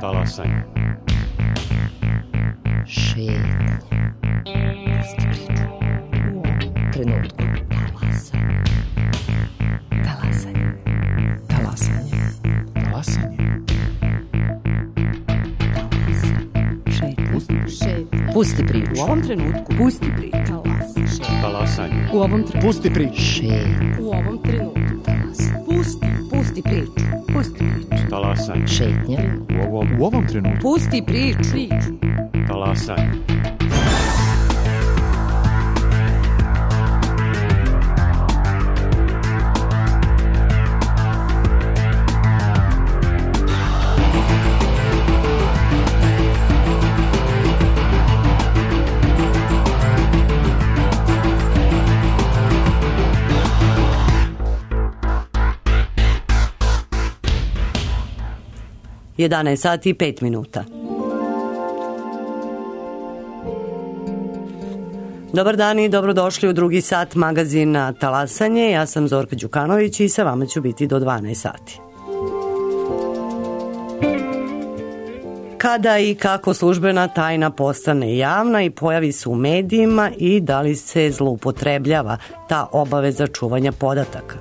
Talasanje. Šetnja. Pusti priču. U ovom trenutku. Talasanje. Talasanje. Talasanje. Pusti priču. U ovom trenutku. Pusti priču. Talasanje. U ovom trenutku. Pusti priču. Šetnja. U ovom trenutku. Pusti priču. Pusti priču. Talasanje. Šetnja. U ovom trenutku. Pusti priču. Talasanje. Jedanaest sati i 5 minuta. Dobar dan i dobrodošli u drugi sat magazina Talasanje. Ja sam Zorka Đukanović i sa vama ću biti do 12 sati. Kada i kako službena tajna postane javna i pojavi se u medijima i da li se zloupotrebljava ta obaveza čuvanja podataka?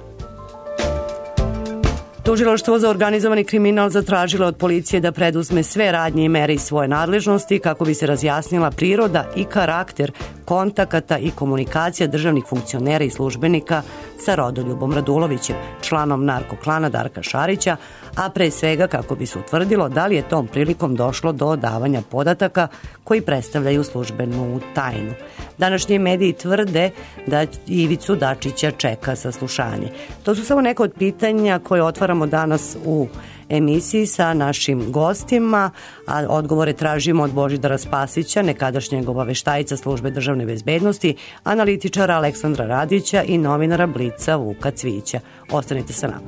Tužilaštvo za organizovani kriminal zatražilo od policije da preduzme sve radnje i mere iz svoje nadležnosti kako bi se razjasnila priroda i karakter kontakata i komunikacija državnih funkcionera i službenika sa Rodoljubom Radulovićem, članom narkoklana Darka Šarića, a pre svega kako bi se utvrdilo da li je tom prilikom došlo do davanja podataka koji predstavljaju službenu tajnu. Današnji mediji tvrde da Ivicu Dačića čeka saslušanje. To su samo neka od pitanja koje otvaramo danas u emisiji sa našim gostima, a odgovore tražimo od Božidara Spasića, nekadašnjeg obaveštajca Službe državne bezbednosti, analitičara Aleksandra Radića i novinara Blica Vuka Cvijića. Ostanite sa nama.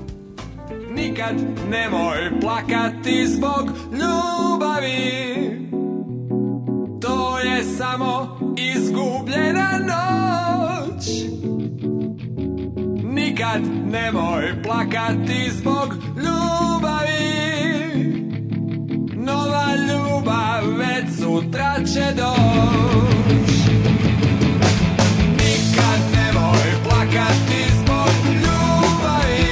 Nikad nemoj plakati zbog ljubavi, to je samo izgubljena noć. Nikad nemoj plakati zbog ljubavi, nova ljubav već sutra će doći. Nikad nemoj plakati zbog ljubavi,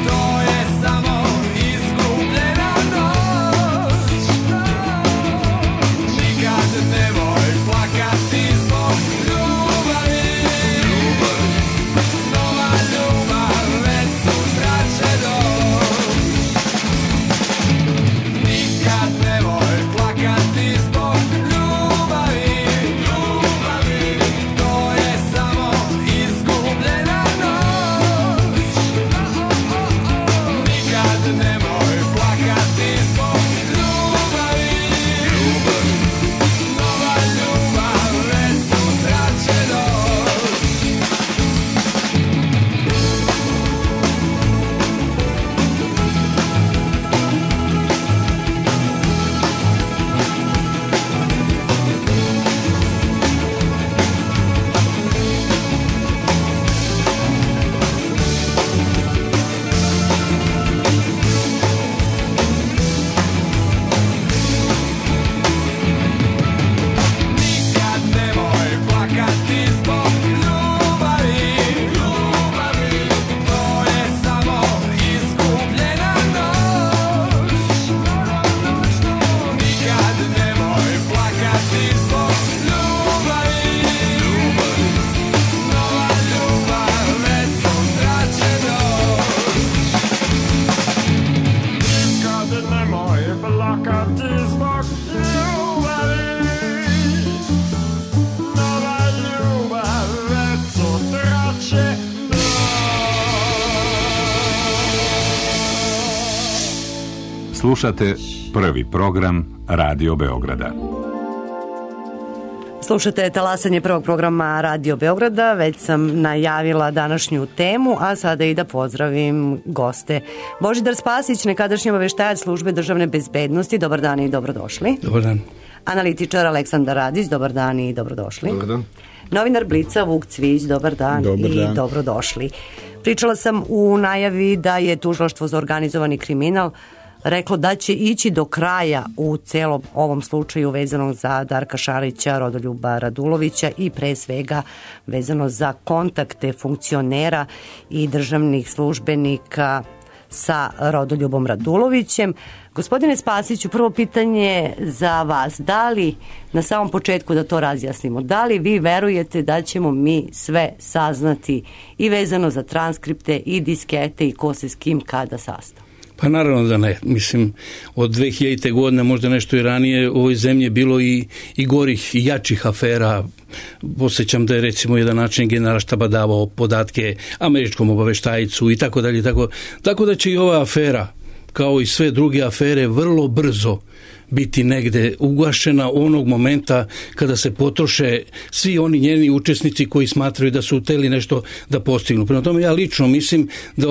to je samo izgubljena noć. Nikad nemoj plakati zbog ljubavi, nova ljubav već sutra će doći. Nikad nemoj plakati zbog ljubavi, to je samo izgubljena noć. Nikad nemoj plakati zbog ljubavi, nova ljubav već sutra će doći. Nikad nemoj plakati zbog ljubavi, to je samo izgubljena noć. Nikad nemoj plakati zbog ljubavi, nova ljubav već sutra će doći. Nikad nemoj plakati zbog ljubavi, nova ljubav već sutra će doći. Slušate prvi program Radio Beograda. Slušate Talasanje prvog programa Radio Beograda. Već sam najavila današnju temu, a sada i da pozdravim goste. Božidar Spasić, nekadašnji obaveštajac Službe državne bezbednosti. Dobar dan i dobrodošli. Dobar dan. Analitičar Aleksandar Radić. Dobar dan i dobrodošli. Dobar dan. Novinar Blica Vuk Cvijić. Dobar dan i dobrodošli. Pričala sam u najavi da je Tužilaštvo za organizovani kriminal reklo da će ići do kraja u celom ovom slučaju vezano za Darka Šarića, Rodoljuba Radulovića i pre svega vezano za kontakte funkcionera i državnih službenika sa Rodoljubom Radulovićem. Gospodine Spasiću, prvo pitanje za vas. Da li, na samom početku da to razjasnimo, da li vi verujete da ćemo mi sve saznati i vezano za transkripte i diskete i ko se s kim kada sastao? Pa naravno da ne. Mislim, od 2000. godine, možda nešto i ranije, u ovoj zemlji je bilo i gorih i jačih afera. Posjećam da je recimo jedan način generalštaba davao podatke američkom obaveštajcu i tako dalje. Tako da će i ova afera, kao i sve druge afere, vrlo brzo biti negde ugašena onog momenta kada se potroše svi oni njeni učesnici koji smatraju da su hteli nešto da postignu. Prema tome ja lično mislim da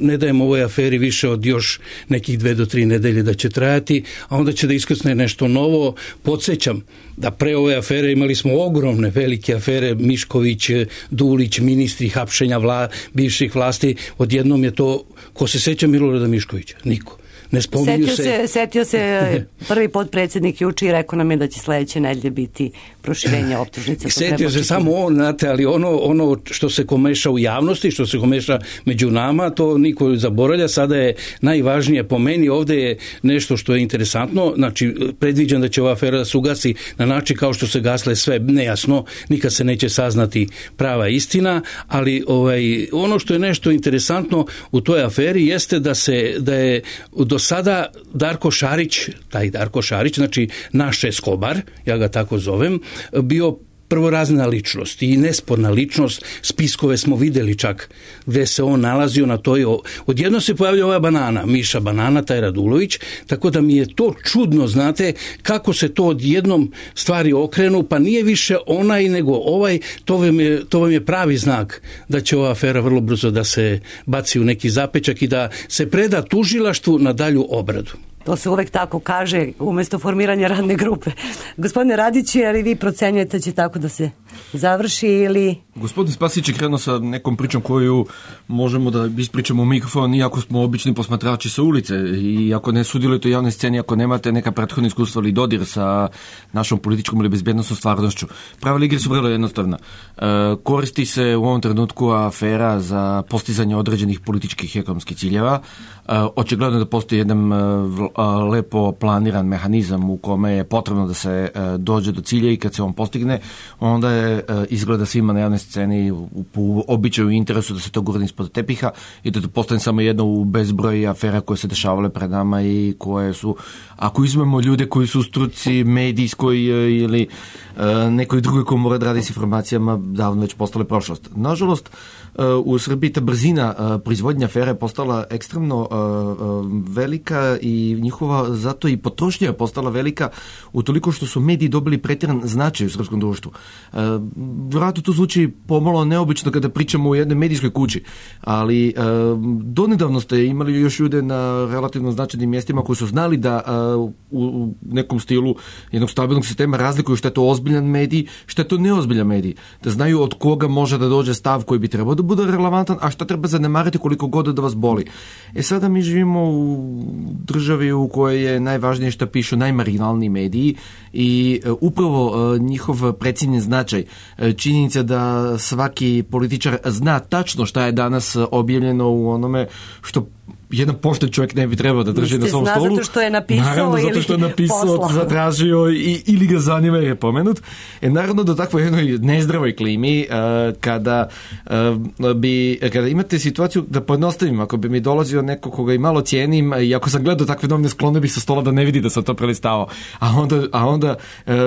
ne dajem ovoj aferi više od još nekih 2 do 3 nedelje da će trajati, a onda će da iskrsne nešto novo. Podsjećam da pre ove afere imali smo ogromne, velike afere, Mišković, Dulić, ministri, hapšenja bivših vlasti. Odjednom je to, ko se seća Milorada Miškovića? Niko. Setio se prvi potpredsjednik juče i rekao nam je da će sledeće nedelje biti proširenje optužnica. Setio se samo on, znate, ali ono što se komeša u javnosti, što se komeša među nama, to niko zaboravlja. Sada je najvažnije po meni, ovde je nešto što je interesantno, znači predviđam da će ova afera da se ugasi na način kao što se gasle sve nejasno, nikad se neće saznati prava istina, ali ono što je nešto interesantno u toj aferi jeste da je do sada Darko Šarić, znači naš Eskobar, ja ga tako zovem, bio prvorazna ličnost i nesporna ličnost. Spiskove smo videli čak gde se on nalazio na toj. Odjedno se pojavlja ova Miša Banana, taj Radulović, tako da mi je to čudno, znate, kako se to odjednom stvari okrenu, pa nije više onaj nego ovaj. To vam je pravi znak da će ova afera vrlo brzo da se baci u neki zapečak i da se preda tužilaštvu na dalju obradu. To se uvek tako kaže umjesto formiranja radne grupe. Gospodine Radiću, ali vi procenjujete će tako da se završi ili... Gospodin Spasić je krenuo sa nekom pričom koju možemo da ispričamo u mikrofon, iako smo obični posmatrači sa ulice i ako ne sudjelujete u javnoj sceni, ako nemate neka prethodna iskustva ili dodir sa našom političkom ili bezbednosnom stvarnošću. Pravila igre su vrlo jednostavna. Koristi se u ovom trenutku afera za postizanje određenih političkih i ekonomskih ciljeva. Očigledno da postoji jedan lepo planiran mehanizam u kome je potrebno da se dođe do cilja i kad se on postigne, onda je izgleda svima na javnoj sceni u običaju interesu da se to gurne ispod tepiha i da to postane samo jedno u bezbroj afera koje se dešavale pred nama i koje su, ako izmemo ljude koji su u struci medijskoj ili nekoj drugoj ko mora da radi s informacijama, davno već postale prošlost. Nažalost, u Srbiji ta brzina proizvodnja afera je postala ekstremno velika i njihova zato i potrošnja je postala velika utoliko što su mediji dobili pretjeran značaj u srpskom društvu. Vjerojatno to zvuči pomalo neobično kada pričamo u jednoj medijskoj kući, ali donedavno ste imali još ljude na relativno značajnim mjestima koji su znali da u nekom stilu jednog stabilnog sistema razlikuju što je to ozbiljan medij, što je to neozbiljan medij. Da znaju od koga može da dođe stav koji bi trebao da bude relevantan, a što treba zanemariti koliko god da vas boli. Sada mi živimo u državi u kojoj je najvažnije što pišu najmarginalniji mediji i upravo njihov precijenjen značaj, činjenica da svaki političar zna tačno šta je danas objavljeno u onome što jedan pošten čovjek ne bi trebao da drži na svom stolu. Zato što je napisao naravno, ili zato što je napisao, zatražio ili ga zanima jer je pomenut. Naravno da takvoj jednoj nezdravoj klimi kada imate situaciju, da pojednostavim, ako bi mi dolazio neko koga i malo cijenim i ako sam gledao takve novine, sklonio bih sa stola da ne vidi da sam to prelistavao. A onda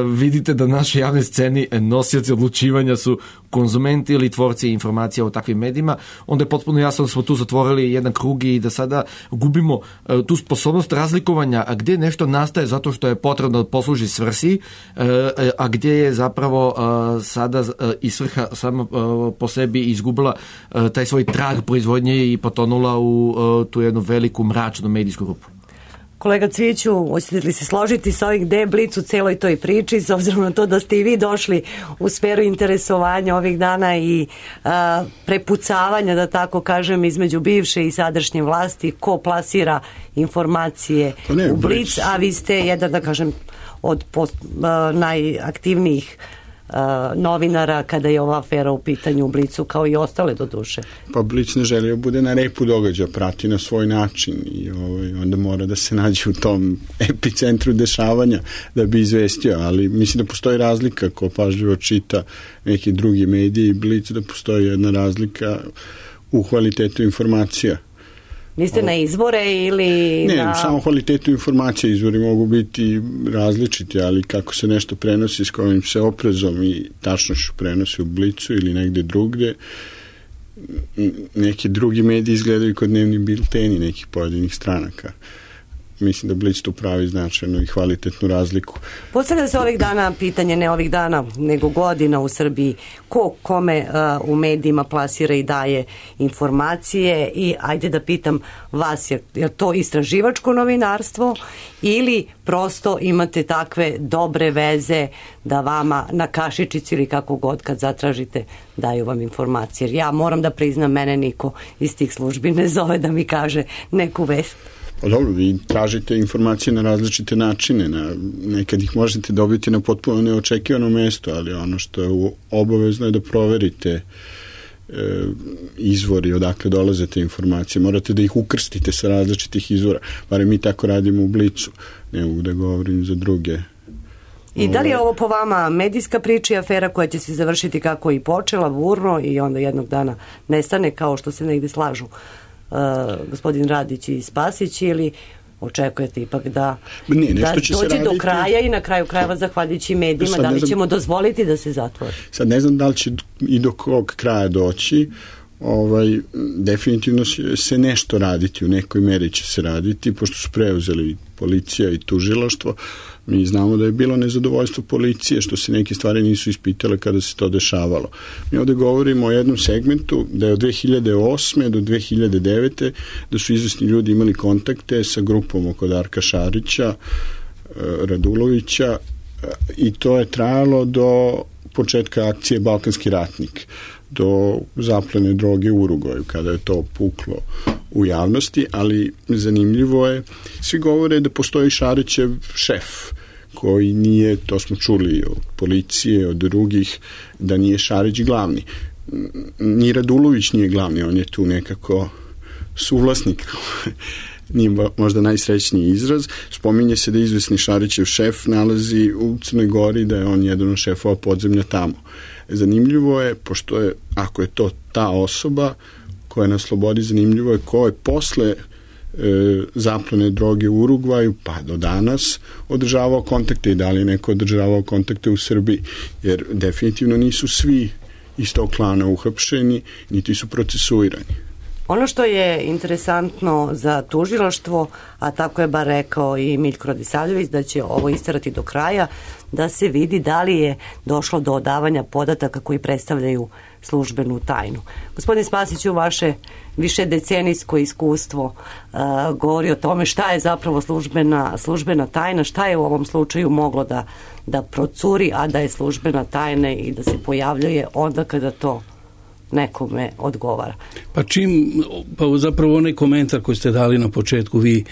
vidite da naše javne sceni nosioci odlučivanja su konzumenti ili tvorci informacija o takvim medijima, onda je potpuno jasno da smo tu zatvorili jedan krug i da sada gubimo tu sposobnost razlikovanja gdje nešto nastaje zato što je potrebno da posluži svrsi, a gdje je zapravo sada i svrha sama po sebi izgubila taj svoj trag proizvodnje i potonula u tu jednu veliku mračnu medijsku grupu. Kolega Cviću, hoćete li se složiti sa ovih gde je Blic u celoj toj priči, s obzirom na to da ste i vi došli u sferu interesovanja ovih dana i prepucavanja, da tako kažem, između bivše i sadašnje vlasti, ko plasira informacije u Blic, a vi ste jedan, da kažem, od najaktivnijih novinara kada je ova afera u pitanju u Blicu, kao i ostale do duše. Pa Blic ne želio bude na repu događaja, prati na svoj način i onda mora da se nađe u tom epicentru dešavanja da bi izvestio, ali mislim da postoji razlika ko pažljivo čita neki drugi mediji i Blic, da postoji jedna razlika u kvalitetu informacija. Niste na izvore ili ne, samo kvalitetu informacije, izvori mogu biti različiti, ali kako se nešto prenosi s kojim se oprezom i tačnošću prenosi u Blicu ili negde drugde, neki drugi mediji izgledaju kod dnevni bilteni nekih pojedinih stranaka. Mislim da Blic tu pravi značajnu i kvalitetnu razliku. Postavlja se ovih dana pitanje, ne ovih dana, nego godina u Srbiji, ko kome u medijima plasira i daje informacije i ajde da pitam vas, je to istraživačko novinarstvo ili prosto imate takve dobre veze da vama na kašičici ili kako god kad zatražite daju vam informacije? Jer ja moram da priznam, mene niko iz tih službi ne zove da mi kaže neku vest. Pa dobro, vi tražite informacije na različite načine, nekad ih možete dobiti na potpuno neočekivano mesto, ali ono što je obavezno je da proverite izvori odakle dolaze te informacije, morate da ih ukrstite sa različitih izvora, barem mi tako radimo u Blicu, ne mogu da govorim za druge. I da li je ovo po vama medijska priča i afera koja će se završiti kako i počela, burno, i onda jednog dana nestane, kao što se negde slažu gospodin Radić i Spasić, ili očekujete ipak da dođe do kraja i na kraju krajeva zahvaljujući medijima, da li ćemo dozvoliti da se zatvori? Sad ne znam da li će i do kog kraja doći, definitivno se nešto raditi, u nekoj meri će se raditi, pošto su preuzeli policija i tužilaštvo. Mi znamo da je bilo nezadovoljstvo policije što se neke stvari nisu ispitale kada se to dešavalo. Mi ovde govorimo o jednom segmentu da je od 2008. do 2009. da su izvesni ljudi imali kontakte sa grupom oko Darka Šarića, Radulovića, i to je trajalo do početka akcije Balkanski ratnik, do zaplene droge u Uruguaju, kada je to puklo u javnosti, ali zanimljivo je, svi govore da postoji Šarićev šef, koji nije, to smo čuli od policije, od drugih, da nije Šarić glavni. Ni Radulović nije glavni, on je tu nekako suvlasnik, nije možda najsrećniji izraz. Spominje se da izvesni Šarićev šef nalazi u Crnoj Gori, da je on jedan od šefova podzemlja tamo. Zanimljivo je, pošto je, ako je to ta osoba koja je na slobodi, zanimljivo je ko je posle zaplene droge u Urugvaju pa do danas održavao kontakte i da li je neko održavao kontakte u Srbiji, jer definitivno nisu svi iz tog klana uhapšeni, niti su procesuirani. Ono što je interesantno za tužilaštvo, a tako je bar rekao i Miljko Radisavljević, da će ovo isterati do kraja, da se vidi da li je došlo do odavanja podataka koji predstavljaju službenu tajnu. Gospodin Spasiću, vaše višedecenijsko iskustvo govori o tome šta je zapravo službena tajna, šta je u ovom slučaju moglo da procuri, a da je službena tajna i da se pojavljuje onda kada to nekome odgovara. Pa zapravo onaj komentar koji ste dali na početku vi,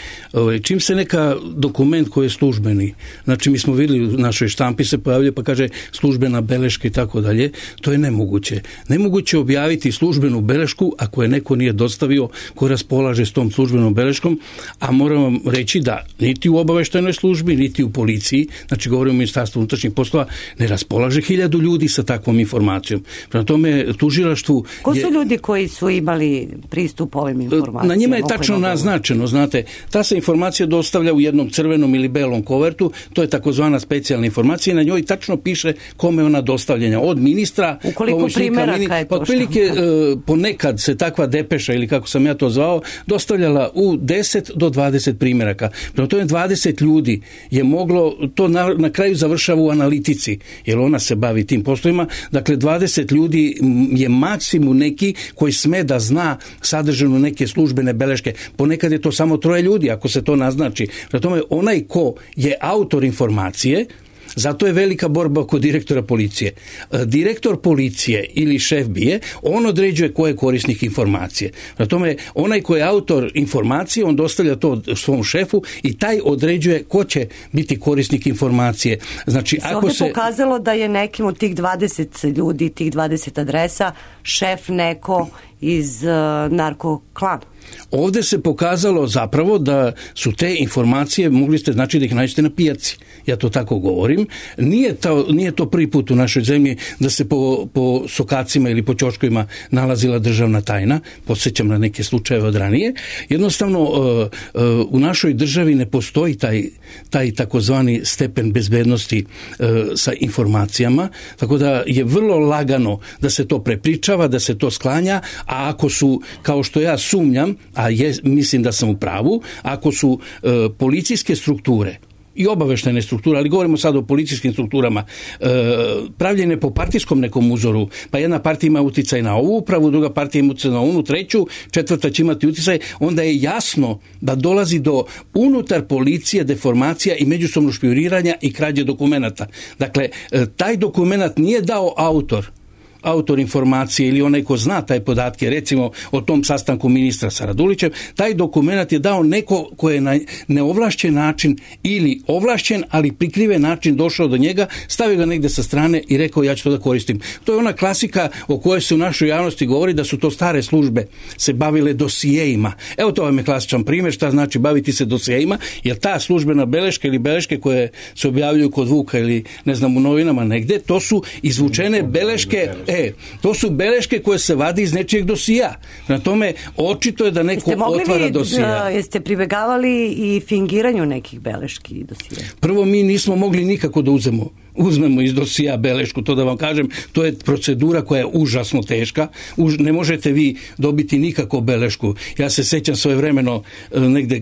čim se neka dokument koji je službeni, znači mi smo vidjeli u našoj štampi se pojavlja pa kaže službena beleška i tako dalje, to je nemoguće. Nemoguće objaviti službenu belešku ako je neko nije dostavio ko raspolaže s tom službenom beleškom, a moram vam reći da niti u obaveštajnoj službi, niti u policiji, znači govorimo o Ministarstvu unutrašnjih poslova, ne raspolaže 1000 ljudi sa takvom informacijom. Prema tome tužilaštvo. Ko su ljudi koji su imali pristup ovim informacijama? Na njima je tačno naznačeno, znate, ta se informacija dostavlja u jednom crvenom ili belom kovertu, to je takozvana specijalna informacija i na njoj tačno piše kome ona dostavljena, od ministra, ukoliko primjeraka je to otprilike ponekad se takva depeša, ili kako sam ja to zvao, dostavljala u 10 do 20 primjeraka. Prema tome 20 ljudi je moglo, to na kraju završava u analitici, jer ona se bavi tim poslovima, dakle 20 ljudi je maksimum neki koji sme da zna sadržinu neke službene beleške. Ponekad je to samo 3 ljudi, ako se to naznači. Prema tome, onaj ko je autor informacije, zato je velika borba kod direktora policije. Direktor policije ili šef BIA, on određuje ko je korisnik informacije. Prema tome, onaj ko je autor informacije, on dostavlja to svom šefu i taj određuje ko će biti korisnik informacije. Znači, ako se pokazalo da je nekim od tih 20 ljudi, tih 20 adresa, šef neko iz narkoklana. Ovdje se pokazalo zapravo da su te informacije, mogli ste znači da ih nađete na pijaci. Ja to tako govorim. Nije to prvi put u našoj zemlji da se po sokacima ili po ćoškovima nalazila državna tajna. Podsjećam na neke slučajeve od ranije. Jednostavno, u našoj državi ne postoji taj takozvani stepen bezbednosti sa informacijama, tako da je vrlo lagano da se to prepričava, da se to sklanja, a ako su, kao što ja sumnjam, mislim da sam u pravu, ako su policijske strukture i obaveštajne strukture, ali govorimo sad o policijskim strukturama, pravljene po partijskom nekom uzoru, pa jedna partija ima uticaj na ovu upravu, druga partija ima uticaj na onu, treću, četvrta će imati uticaj, onda je jasno da dolazi do unutar policije deformacija i međusobnog špijuniranja i krađe dokumenata. Dakle, taj dokumenat nije dao autor informacije ili onaj ko zna taj podatke, recimo o tom sastanku ministra sa Radulićem, taj dokumenat je dao neko ko je na neovlašćen način ili ovlašćen, ali prikriven način došao do njega, stavio ga negdje sa strane i rekao ja ću to da koristim. To je ona klasika o kojoj se u našoj javnosti govori da su to stare službe se bavile dosijejima. Evo to vam je klasičan primjer šta znači baviti se dosijejima, jer ta službena beleška ili beleške koje se objavljuju kod Vuka ili ne znam u novinama negdje, to su izvučene beleške. To su beleške koje se vadi iz nečijeg dosija. Na tome, očito je da neko otvara dosija. Jeste pribegavali i fingiranju nekih beleški i dosija? Prvo, mi nismo mogli nikako da uzmemo iz dosija belešku, to da vam kažem, to je procedura koja je užasno teška. Ne možete vi dobiti nikako belešku. Ja se sećam svojevremeno, negde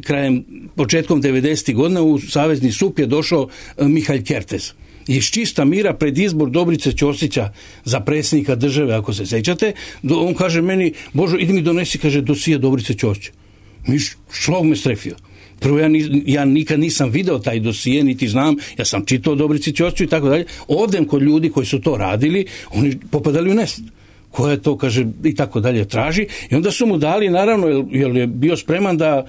početkom 90. godina u Savezni SUP je došao Mihalj Kertez. Iz čista mira pred izbor Dobrice Ćosića za predsjednika države, ako se sećate, on kaže meni, Božo, idi mi donesi, kaže, dosije Dobrice Ćosića. Šlog me strefio. Prvo, ja nikad nisam video taj dosije, niti znam, ja sam čitao Dobrici Ćosiću i tako dalje. Odem kod ljudi koji su to radili, oni popadali u nesvijest. Ko je to, kaže, i tako dalje traži. I onda su mu dali, naravno, jer je bio spreman da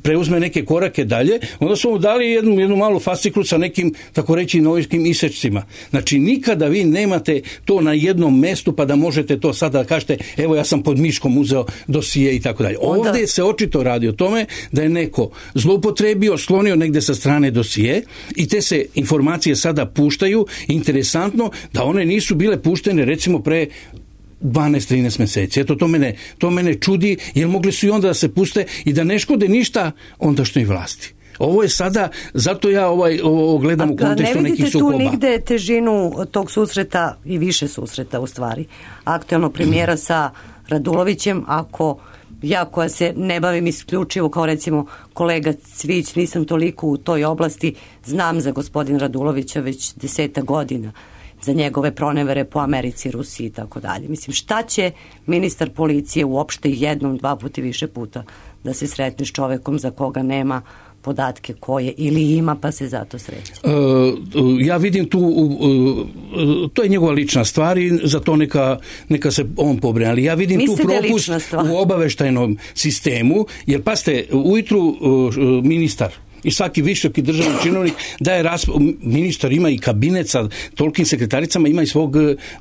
preuzme neke korake dalje, onda su mu dali jednu malu fasciklu sa nekim, tako reći, novinskim isečcima. Znači, nikada vi nemate to na jednom mestu, pa da možete to sada da kažete, evo ja sam pod miškom uzeo dosije i tako dalje. Ovdje se očito radi o tome da je neko zloupotrebio, slonio negdje sa strane dosije i te se informacije sada puštaju. Interesantno da one nisu bile puštene, recimo, pre 12-13 mjeseci. Eto, to mene čudi, jer mogli su i onda da se puste i da ne škode ništa ondašnjoj vlasti. Ovo je sada, zato ja ovo gledam u kontekstu nekih sukoba. Ne vidite tu nigde težinu tog susreta i više susreta u stvari aktualnog premijera sa Radulovićem, ako ja koja se ne bavim isključivo kao recimo kolega Cvić, nisam toliko u toj oblasti, znam za gospodin Radulovića već 10 godina, za njegove pronevere po Americi, Rusiji i tako dalje. Mislim, šta će ministar policije uopšte jednom, 2 puta i više puta da se sretne s čovekom za koga nema podatke koje ili ima pa se zato sreće? Ja vidim tu, to je njegova lična stvar i za to neka se on pobrine, ali ja vidim tu propust u obaveštajnom sistemu, jer pazite, ujutru ministar i svaki visoki državni činovnik daje ministar ima i kabinet sa tolikim sekretaricama, ima i svog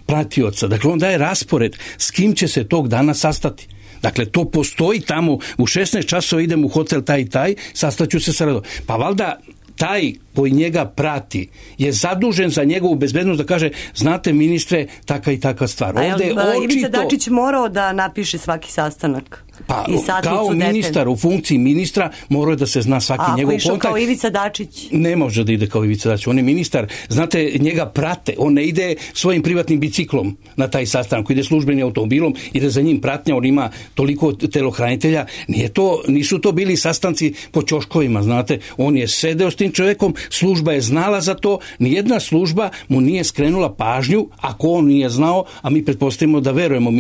pratioca. Dakle, on daje raspored s kim će se tog dana sastati. Dakle, to postoji tamo, u 16 časova idem u hotel taj i taj, sastaću se sa Radulovićem. Pa valjda taj koji njega prati je zadužen za njegovu bezbednost da kaže, znate ministre, taka i taka stvar. Ovdje Ivica Dačić morao da napiše svaki sastanak? Pa, kao ministar, u funkciji ministra, morao da se zna svaki njegov kontakt. A ako išao kao Ivica Dačić? Ne može da ide kao Ivica Dačić, on je ministar. Znate, njega prate, on ne ide svojim privatnim biciklom na taj sastanak, ide službenim automobilom, ide za njim pratnja, on ima toliko telohranitelja. Nisu to bili sastanci po ćoškovima, znate. On je sedeo s tim čovjekom, služba je znala za to, nijedna služba mu nije skrenula pažnju, ako on nije znao, a mi pretpostavimo da verujemo.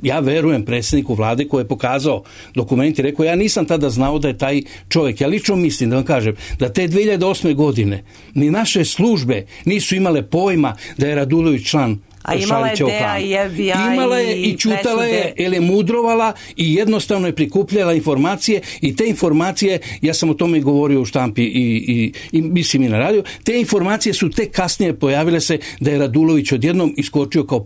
Ja verujem predsjedniku vlade koji je pokazao dokumenti, rekao, ja nisam tada znao da je taj čovjek. Ja lično mislim, da vam kažem, da te 2008. godine ni naše službe nisu imale pojma da je Radulović član A imala je DEA i FBI imala je i čutala je, jer je mudrovala i jednostavno je prikupljala informacije i te informacije, ja sam o tome govorio u štampi i mislim i na radiju, te informacije su tek kasnije pojavile se da je Radulović odjednom iskočio kao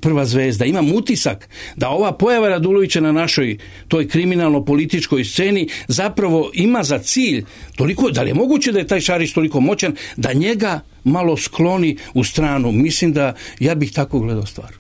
prva zvezda. Imam utisak da ova pojava Radulovića na našoj toj kriminalno-političkoj sceni zapravo ima za cilj toliko, da li je moguće da je taj Šarić toliko moćan, da njega malo skloni u stranu. Mislim da ja bih tako gledao stvar.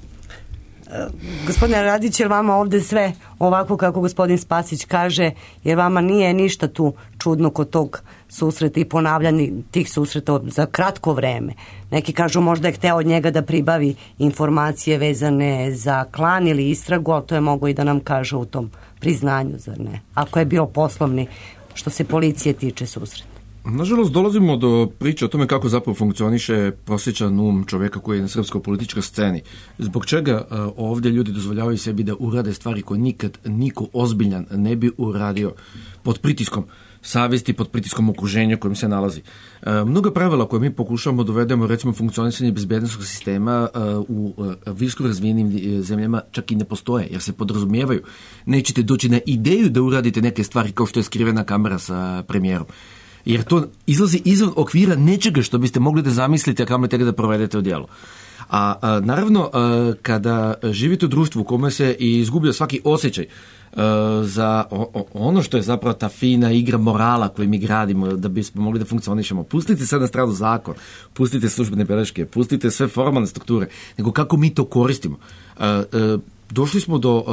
Gospodine Radić, jer vama ovdje sve ovako kako gospodin Spasić kaže, jer vama nije ništa tu čudno kod tog susreta i ponavljanja tih susreta za kratko vreme. Neki kažu možda je hteo od njega da pribavi informacije vezane za klan ili istragu, ali to je mogo i da nam kaže u tom priznanju, zar ne? Ako je bio poslovni, što se policije tiče, susret. Nažalost, dolazimo do priče o tome kako zapravo funkcioniše prosječan um čovjeka koji je na srpskoj političkoj sceni. Zbog čega ovdje ljudi dozvoljavaju sebi da urade stvari koje nikad niko ozbiljan ne bi uradio pod pritiskom savjesti, pod pritiskom okruženja u kojem se nalazi. Mnoga pravila koje mi pokušavamo dovedemo, recimo funkcionisanje bezbednosnog sistema u visoko razvijenim zemljama čak i ne postoje, jer se podrazumijevaju. Nećete doći na ideju da uradite neke stvari kao što je skrivena kamera sa premijerom. Jer to izlazi izvan okvira nečega što biste mogli da zamislite, a kamoli tek da provedete u djelo. A naravno, kada živite u društvu u kome se izgublja svaki osjećaj za ono što je zapravo ta fina igra morala koju mi gradimo da bismo mogli da funkcionišemo. Pustite sad na stranu zakon, pustite službene beleške, pustite sve formalne strukture, nego kako mi to koristimo. Došli smo do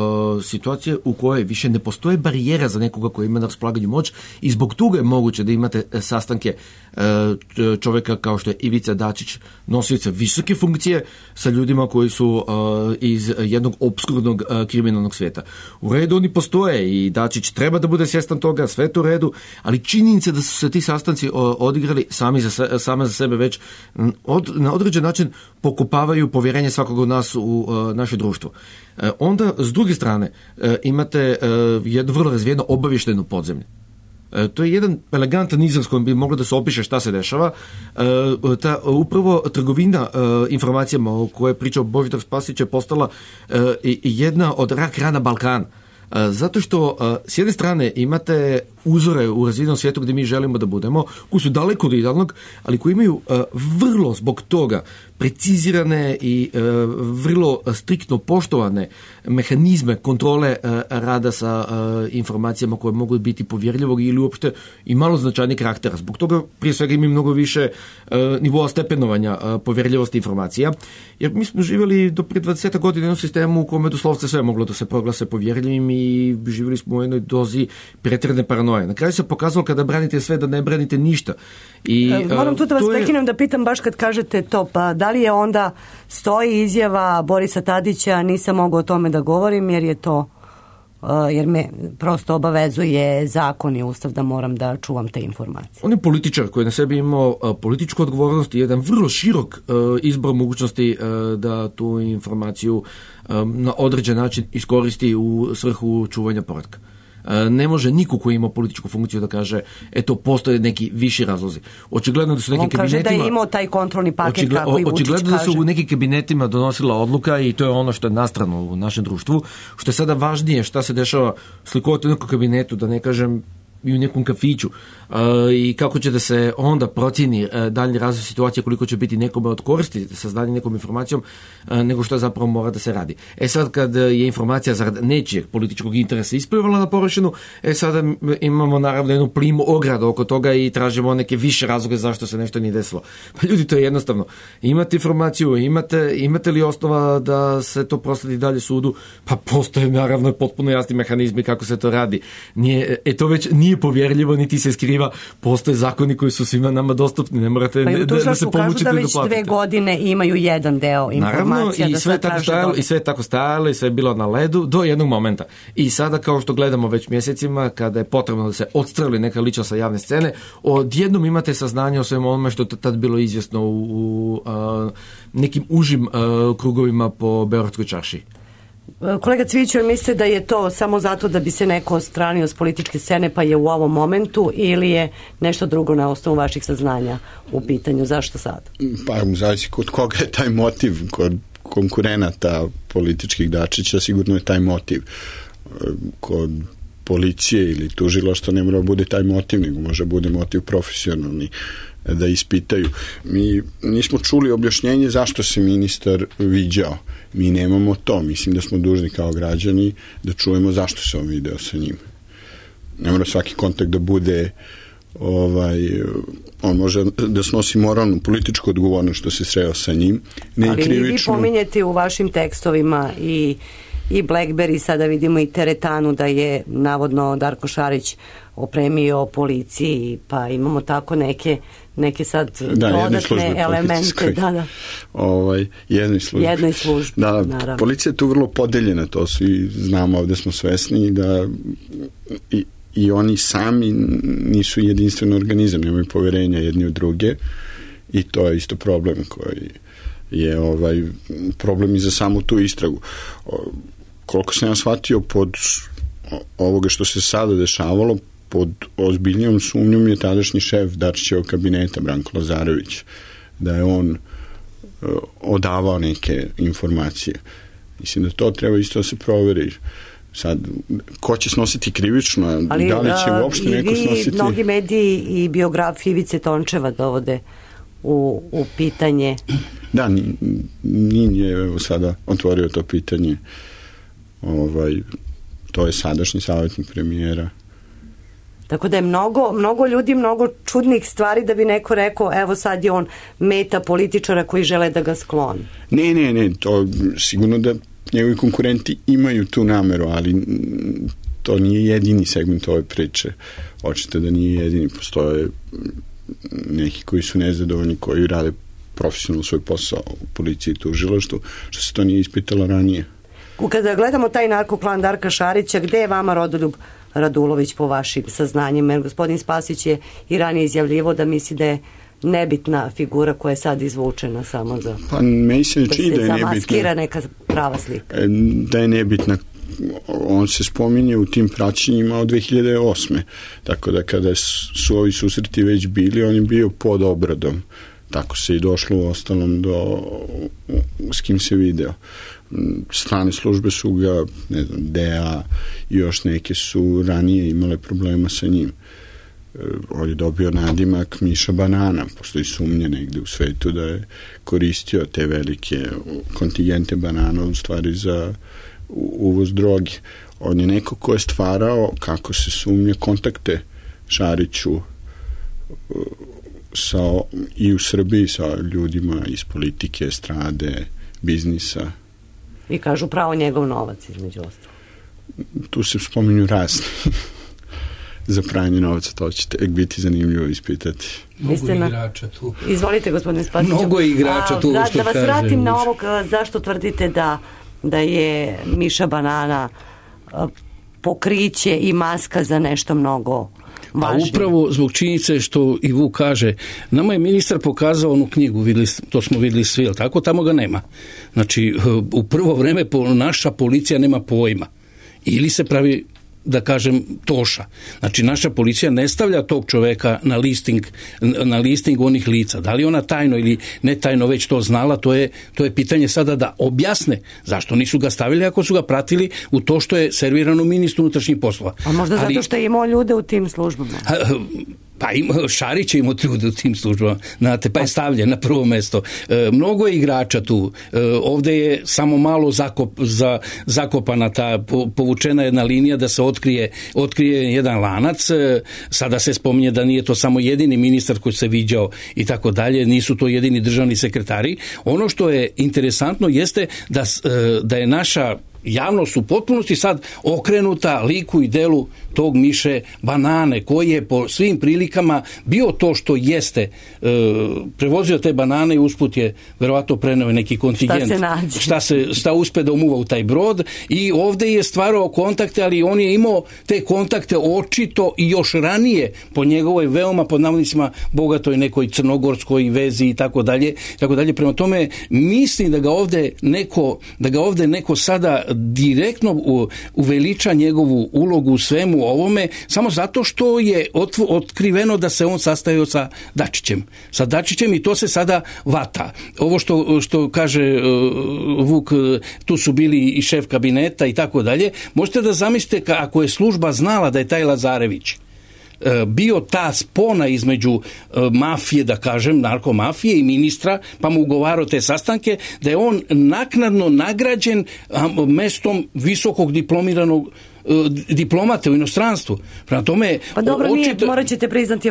situacije u kojoj više ne postoje barijera za nekoga koji ima na raspolaganju moć i zbog toga je moguće da imate sastanke čovjeka kao što je Ivica Dačić, nosioca visoke funkcije, sa ljudima koji su iz jednog opskurnog kriminalnog svijeta. U redu oni postoje i Dačić treba da bude svjestan toga, sve to u redu, ali činjenica da su se ti sastanci odigrali same za sebe već na određen način pokopavaju povjerenje svakog od nas u naše društvo. Onda, s druge strane, imate jedno vrlo razvijeno obavješteno podzemlje. To je jedan elegantan izraz kojim bi moglo da se opiše šta se dešava. Ta upravo trgovina informacijama o kojoj je pričao Božidar Spasić je postala jedna od rak rana Balkana. Zato što s jedne strane imate uzore u razvijenom svijetu gdje mi želimo da budemo, koji su daleko od idealnog, ali koji imaju vrlo zbog toga precizirane i vrlo striktno poštovane mehanizme kontrole rada sa informacijama koje mogu biti povjerljivog ili uopšte i malo značajnih karaktera. Zbog toga prije svega ima mnogo više nivoa stepenovanja povjerljivosti informacija, jer mi smo živjeli do prije 20 godina u jednom sistemu u kome doslovce sve moglo da se proglase povjerljivim i živjeli smo u jednoj dozi pretjerane paranoje. Na kraju se pokazalo kada branite sve da ne branite ništa. Moram tu da vas prekinem da pitam baš kad kažete to, pa da li je onda stoji izjava Borisa Tadića nisam mogao o tome da govorim jer je to jer me prosto obavezuje zakon i ustav da moram da čuvam te informacije. On je političar koji na sebi imao političku odgovornost i jedan vrlo širok izbor mogućnosti da tu informaciju na određen način iskoristi u svrhu čuvanja poretka. Ne može niko koji ima političku funkciju da kaže eto postoje neki viši razlozi. Očigledno da su neki kabinetima... On kaže da je imao taj kontrolni paket kako i Vučić očigledno kaže. Da su u nekim kabinetima donosila odluka i to je ono što je nastrano u našem društvu. Što je sada važnije šta se dešava slikovati u nekom kabinetu, da ne kažem i u nekom kafiću i kako će da se onda procjeni daljnji razvoj situacije, koliko će biti nekome od koristi sa znanjem nekom informacijom nego što zapravo mora da se radi. Sad kad je informacija zarad nečijeg političkog interesa isplivala na površinu, sada imamo naravno jednu plimu ogradu oko toga i tražimo neke više razloge zašto se nešto nije desilo. Pa ljudi, to je jednostavno. Imate informaciju, imate li osnova da se to prosledi dalje sudu? Pa postoje naravno potpuno jasni mehanizmi kako se to radi. To već nije nije povjerljivo, niti se skriva, postoje zakoni koji su svima nama dostupni, ne morate da se pomučite da platite. Kažu da već 2 godine imaju jedan deo informacija. Naravno, i sve tako stajalo i sve je bilo na ledu do jednog momenta. I sada, kao što gledamo već mjesecima, kada je potrebno da se odstreli neka ličnost sa javne scene, odjednom imate saznanje o svemu onome što je tad bilo izvjesno u nekim užim krugovima po Beogradskoj čaršiji. Kolega Cviću, mislite da je to samo zato da bi se neko odstranio s političke scene pa je u ovom momentu, ili je nešto drugo na osnovu vaših saznanja u pitanju? Zašto sad? Pa zavisi kod koga je taj motiv. Kod konkurenata političkih Dačića sigurno je taj motiv. Kod policije ili tužilaštva ne mora bude taj motiv, nego može bude motiv profesionalni da ispitaju. Mi nismo čuli objašnjenje zašto se ministar viđao. Mi nemamo to. Mislim da smo dužni kao građani da čujemo zašto se on video sa njim. Ne mora svaki kontakt da bude on može da snosi moralnu političku odgovornost što se sreo sa njim. Ne ali krivično. Vi pominjete u vašim tekstovima i Blackberry, sada vidimo i teretanu da je navodno Darko Šarić opremio policiji, pa imamo tako neke sad dodatne elemente. Jednoj službi. Da, policija je tu vrlo podeljena, to svi znamo, ovdje smo svesni da i oni sami nisu jedinstven organizam, nemaju poverenja jedni u druge i to je isto problem koji je problem i za samu tu istragu. Koliko sam ja shvatio pod ovoga što se sada dešavalo, pod ozbiljnijom sumnjom je tadašnji šef Dačićevog kabineta Branko Lazarević, da je on odavao neke informacije. Mislim da to treba isto da se proveri. Sad, ko će snositi krivično, ali, da li će uopšte neko snositi... Ali mnogi mediji i biografije Ivice Tončeva dovode u pitanje. Da, nije sada otvorio to pitanje. To je sadašnji savjetnik premijera. Tako da je mnogo ljudi, mnogo čudnih stvari da bi neko rekao, evo sad je on meta političara koji žele da ga skloni. Ne, to sigurno da njegovi konkurenti imaju tu nameru, ali to nije jedini segment ove priče. Očito da nije jedini, postoje neki koji su nezadovoljni, koji rade profesionalno svoj posao u policiji i tužilaštvu, što se to nije ispitalo ranije. Kada gledamo taj narkoklan Darka Šarića, gde je vama Rodoljub Radulović po vašim saznanjima? Jer gospodin Spasić je i ranije izjavljivo da misli da je nebitna figura koja je sad izvučena samo za... Pa meni se ne čini da je nebitna. Da se zamaskira neka prava slika. Da je nebitna. On se spominje u tim praćenjima od 2008. Tako da kada su ovi susreti već bili, on je bio pod obradom. Tako se i došlo u ostalom do s kim se video. Strane službe su ga, ne znam, DEA i još neke su ranije imale problema sa njim. On je dobio nadimak Miša Banana, postoji sumnje negde u svetu da je koristio te velike kontingente banana u stvari za uvoz droge. On je neko ko je stvarao, kako se sumnje, kontakte Šariću i u Srbiji sa ljudima iz politike, strade, biznisa. I kažu pravo njegov novac, između ostalog. Tu se spominju razni. Za pranje novca, to ćete biti zanimljivo ispitati. Mnogo igrača tu. Izvolite, gospodine Spasiću. Mnogo igrača tu, što da vas vratim na ovo, zašto tvrdite da je Miša Banana pokriće i maska za nešto mnogo važnije? A upravo zbog činjenice što i Vuk kaže, nama je ministar pokazao onu knjigu, to smo vidjeli svi, ali tako, tamo ga nema. Znači, u prvo vreme naša policija nema pojma. Ili se pravi, da kažem, toša. Znači, naša policija ne stavlja tog čoveka na listing onih lica. Da li ona tajno ili ne tajno već to znala, to je pitanje sada da objasne zašto nisu ga stavili ako su ga pratili u to što je servirano ministru unutrašnjih poslova. A možda zato što je imao ljude u tim službama? Pa Šarić je imao ljude u tim službama, znate, pa je stavljen na prvo mesto. Mnogo je igrača tu. Ovdje je samo malo zakopana ta povučena jedna linija da se otkrije jedan lanac. Sada se spominje da nije to samo jedini ministar koji se viđao i tako dalje, nisu to jedini državni sekretari. Ono što je interesantno jeste da je naša javnost u potpunosti sad okrenuta liku i delu tog Miše Banane, koji je po svim prilikama bio to što jeste, prevozio te banane i usput je verovatno preneo neki kontingent. Šta uspe da umuva u taj brod, i ovde je stvarao kontakte, ali on je imao te kontakte očito i još ranije po njegovoj veoma pod navodnicima bogatoj nekoj crnogorskoj vezi i tako dalje. Prema tome mislim da ga ovde neko sada direktno uveliča njegovu ulogu u svemu ovome, samo zato što je otkriveno da se on sastajao sa Dačićem i to se sada vata. Ovo što kaže Vuk, tu su bili i šef kabineta i tako dalje. Možete da zamislite ako je služba znala da je taj Lazarević bio ta spona između mafije, da kažem, narkomafije i ministra, pa mu ugovarao te sastanke, da je on naknadno nagrađen mestom visokog diplomiranog diplomate u inostranstvu. Prema tome, pa dobro, morat ćete priznati,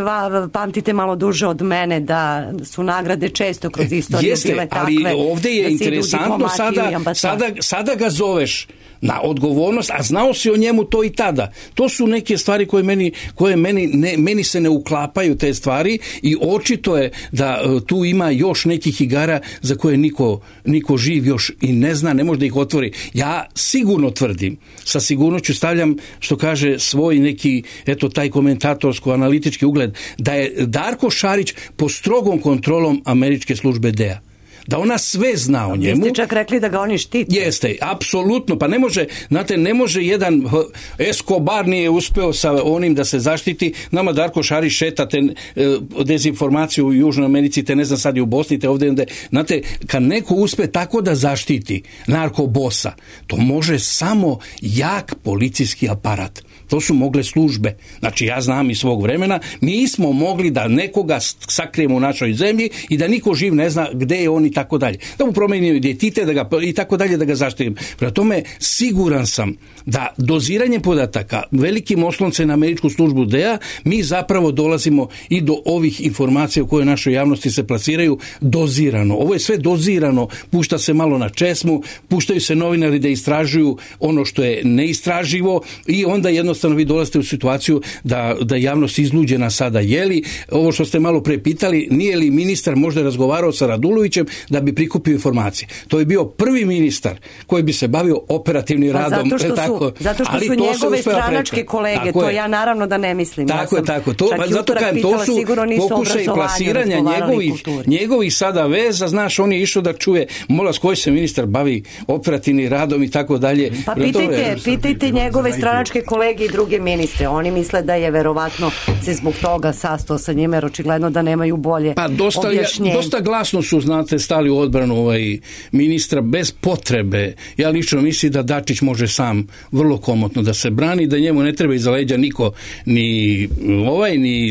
pamtite malo duže od mene, da su nagrade često kroz istoriju bile takve. Ali ovde je interesantno sada ga zoveš na odgovornost, a znao si o njemu to i tada. To su neke stvari koje meni se ne uklapaju, te stvari, i očito je da tu ima još nekih igara za koje niko živ još i ne zna, ne može da ih otvori. Ja sigurno tvrdim, sa sigurnošću stavljam, što kaže, svoj neki, taj komentatorsko-analitički ugled, da je Darko Šarić pod strogom kontrolom američke službe DEA. Da ona sve zna o njemu. Vi ste čak rekli da ga oni štite. Jeste, apsolutno. Pa ne može jedan Escobar nije uspeo sa onim da se zaštiti. Nama Darko Šarić šeta te dezinformaciju u Južnoj Americi, te ne znam sad i u Bosni, te ovdje. Znate, kad neko uspe tako da zaštiti narkobosa, to može samo jak policijski aparat. To su mogle službe. Znači, ja znam iz svog vremena, mi smo mogli da nekoga sakrijemo u našoj zemlji i da niko živ ne zna gde je on i tako dalje. Da mu promenimo identitet i tako dalje, da ga zaštitim. Prema tome, siguran sam da doziranjem podataka, velikim osloncem na američku službu DEA, mi zapravo dolazimo i do ovih informacija koje u našoj javnosti se plasiraju dozirano. Ovo je sve dozirano, pušta se malo na česmu, puštaju se novinari da istražuju ono što je neistraživo i onda jednostavno vi dolazite u situaciju da javnost izluđena sada. Jeli, ovo što ste malo pre pitali, nije li ministar možda razgovarao sa Radulovićem da bi prikupio informacije? To je bio prvi ministar koji bi se bavio operativnim radom. Zato što su njegove stranačke kolege, to ja naravno da ne mislim. Tako. Zato kažem, to su pokušaj plasiranja njegovih sada veza, znaš, on je išao da čuje, mola s koji se ministar bavi operativnim radom i tako dalje. Pa pitajte njegove stranačke kolege i druge ministre. Oni misle da je verovatno se zbog toga sastao sa njima, jer očigledno da nemaju bolje objašnjenje. Dosta glasno su, znate, stali u odbranu ministra bez potrebe. Ja lično mislim da Dačić može sam vrlo komotno da se brani, da njemu ne treba iza leđa niko, ni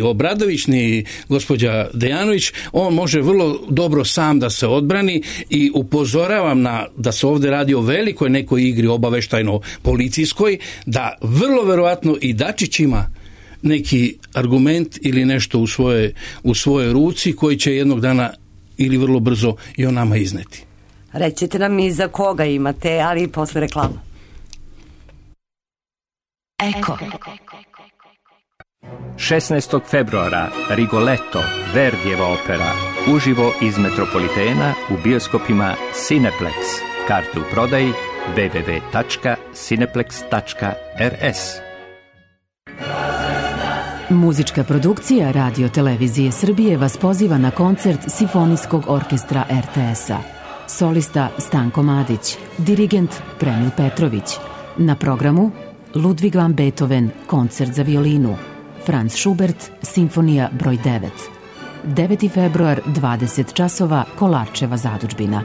Obradović, ni gospođa Dejanović. On može vrlo dobro sam da se odbrani i upozoravam da se ovdje radi o velikoj nekoj igri obaveštajno-policijskoj, da vrlo verovatno i Dačić ima neki argument ili nešto u svojoj ruci koji će jednog dana ili vrlo brzo i o nama izneti. Rećete nam i za koga imate, ali posle reklama. Eko. 16. februara Rigoletto, Verdijeva opera, uživo iz Metropolitena u bioskopima Cineplex. Karte u prodaji www.cineplex.rs. Muzička produkcija Radio Televizije Srbije vas poziva na koncert Simfonijskog orkestra RTS-a. Solista Stanko Madić, dirigent Premil Petrović. Na programu Ludwig van Beethoven, koncert za violinu. Franz Schubert, Simfonija broj 9. 9. februar, 20 časova, Kolarčeva zadužbina.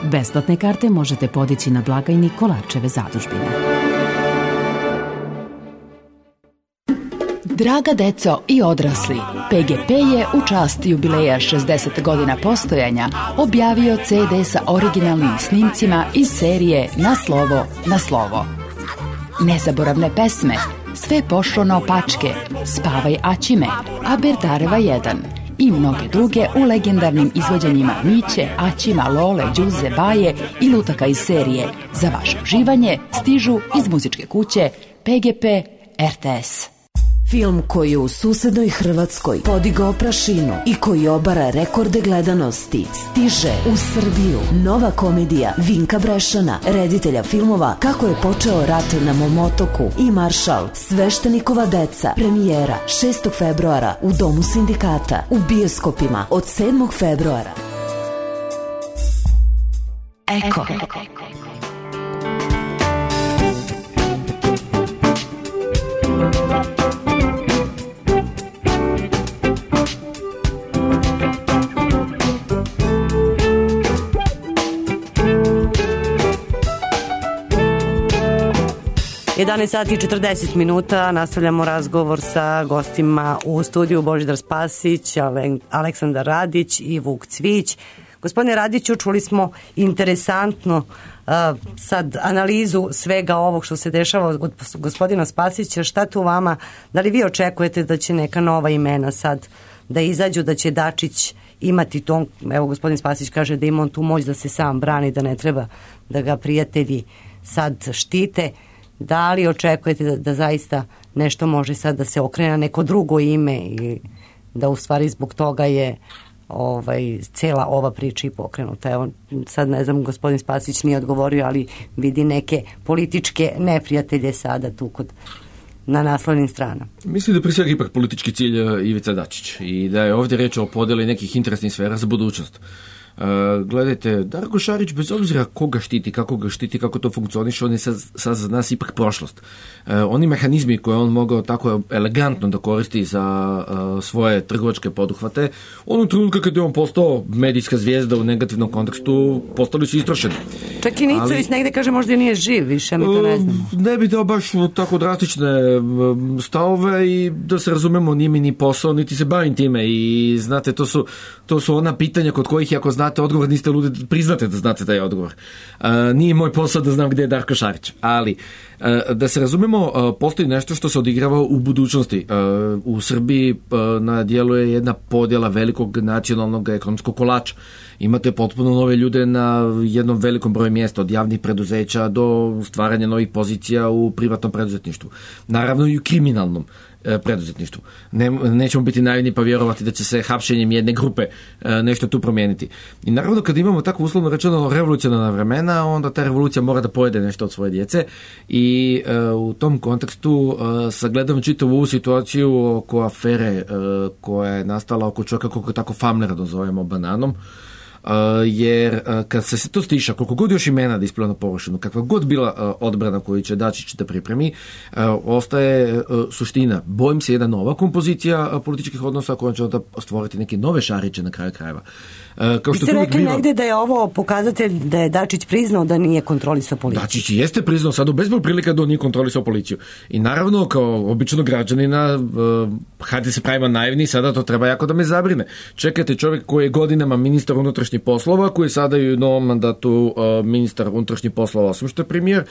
Besplatne karte možete podići na blagajni Kolarčeve zadužbine. Draga deco i odrasli, PGP je u čast jubileja 60 godina postojanja objavio CD sa originalnim snimcima iz serije Na slovo, na slovo. Nezaboravne pesme, Sve pošlo naopačke, Spavaj Aćime, Aberdareva 1 i mnoge druge u legendarnim izvođenjima Miće, Aćima, Lole, Đuze, Baje i lutaka iz serije. Za vaše uživanje stižu iz muzičke kuće PGP RTS. Film koji je u susednoj Hrvatskoj podigao prašinu i koji obara rekorde gledanosti stiže u Srbiju. Nova komedija Vinka Brešana, reditelja filmova Kako je počeo rat na mom otoku i Maršal, Sveštenikova deca. Premijera 6. februara u Domu sindikata, u bioskopima od 7. februara. Eko. 11 sati i 40 minuta, nastavljamo razgovor sa gostima u studiju Božidar Spasić, Aleksandar Radić i Vuk Cvić. Gospodine Radiću, čuli smo interesantno sad analizu svega ovog što se dešava od gospodina Spasića. Šta tu vama, da li vi očekujete da će neka nova imena sad da izađu, da će Dačić imati to, evo gospodin Spasić kaže da ima on tu moć da se sam brani, da ne treba da ga prijatelji sad štite. Da li očekujete da zaista nešto može sad da se okrene na neko drugo ime i da u stvari zbog toga je cela ova priča i pokrenuta? Evo, sad ne znam, gospodin Spasić nije odgovorio, ali vidi neke političke neprijatelje sada tu na naslovnim stranama. Mislim da prije svega ipak politički cilj Ivica Dačić i da je ovdje reč o podeli nekih interesnih sfera za budućnost. Gledajte, Darko Šarić, bez obzira koga štiti, kako to funkcioniše, on je sad za nas ipak prošlost. Oni mehanizmi koje on mogao tako elegantno da koristi za svoje trgovačke poduhvate, onog trenutka kad je on postao medijska zvijezda u negativnom kontekstu, postali su istrošeni. Čak i Nicović negde kaže možda i nije živ više, mi to ne znam. Ne bi dao baš tako drastične stavove i da se razumemo, nije mi ni posao, niti se bavim time i znate, to su ona pitanja kod kojih ako znate odgovor, niste ludi, priznate da znate taj odgovor. Nije moj posao da znam gdje je Darko Šarić, ali da se razumemo, postoji nešto što se odigrava u budućnosti. U Srbiji na dijelu je jedna podjela velikog nacionalnog ekonomskog kolača. Imate potpuno nove ljude na jednom velikom broju mjesta, od javnih preduzeća do stvaranja novih pozicija u privatnom preduzetništvu. Naravno i u kriminalnom preduzetništvu. Nećemo biti naivni pa vjerovati da će se hapšenjem jedne grupe nešto tu promijeniti. I naravno kad imamo tako uslovno rečeno revolucionarna vremena, onda ta revolucija mora da pojede nešto od svoje djece i u tom kontekstu sagledamo čitavu ovu situaciju oko afere koja je nastala oko čovjeka kako tako famlera dozovemo Bananom. Jer kad se to stiša, koliko god još imena da ispliva na površinu, kakva god bila odbrana koju će Dačić da pripremi, ostaje suština. Bojim se jedna nova kompozicija političkih odnosa koja će onda stvoriti neke nove Šariće na kraju krajeva. Vi ste rekli negdje da je ovo pokazatelj da je Dačić priznao da nije kontrolisao policiju. Dačić jeste priznao sad u bezbroj prilika da on nije kontrolisao policiju. I naravno, kao običnog građanina, hajde se pravimo naivni, sada to treba jako da me zabrine. Čekajte, čovjek koji je godinama ministar unutrašnjih poslova, koji je sada i u novom mandatu ministar unutrašnjih poslova, osim što je premijer,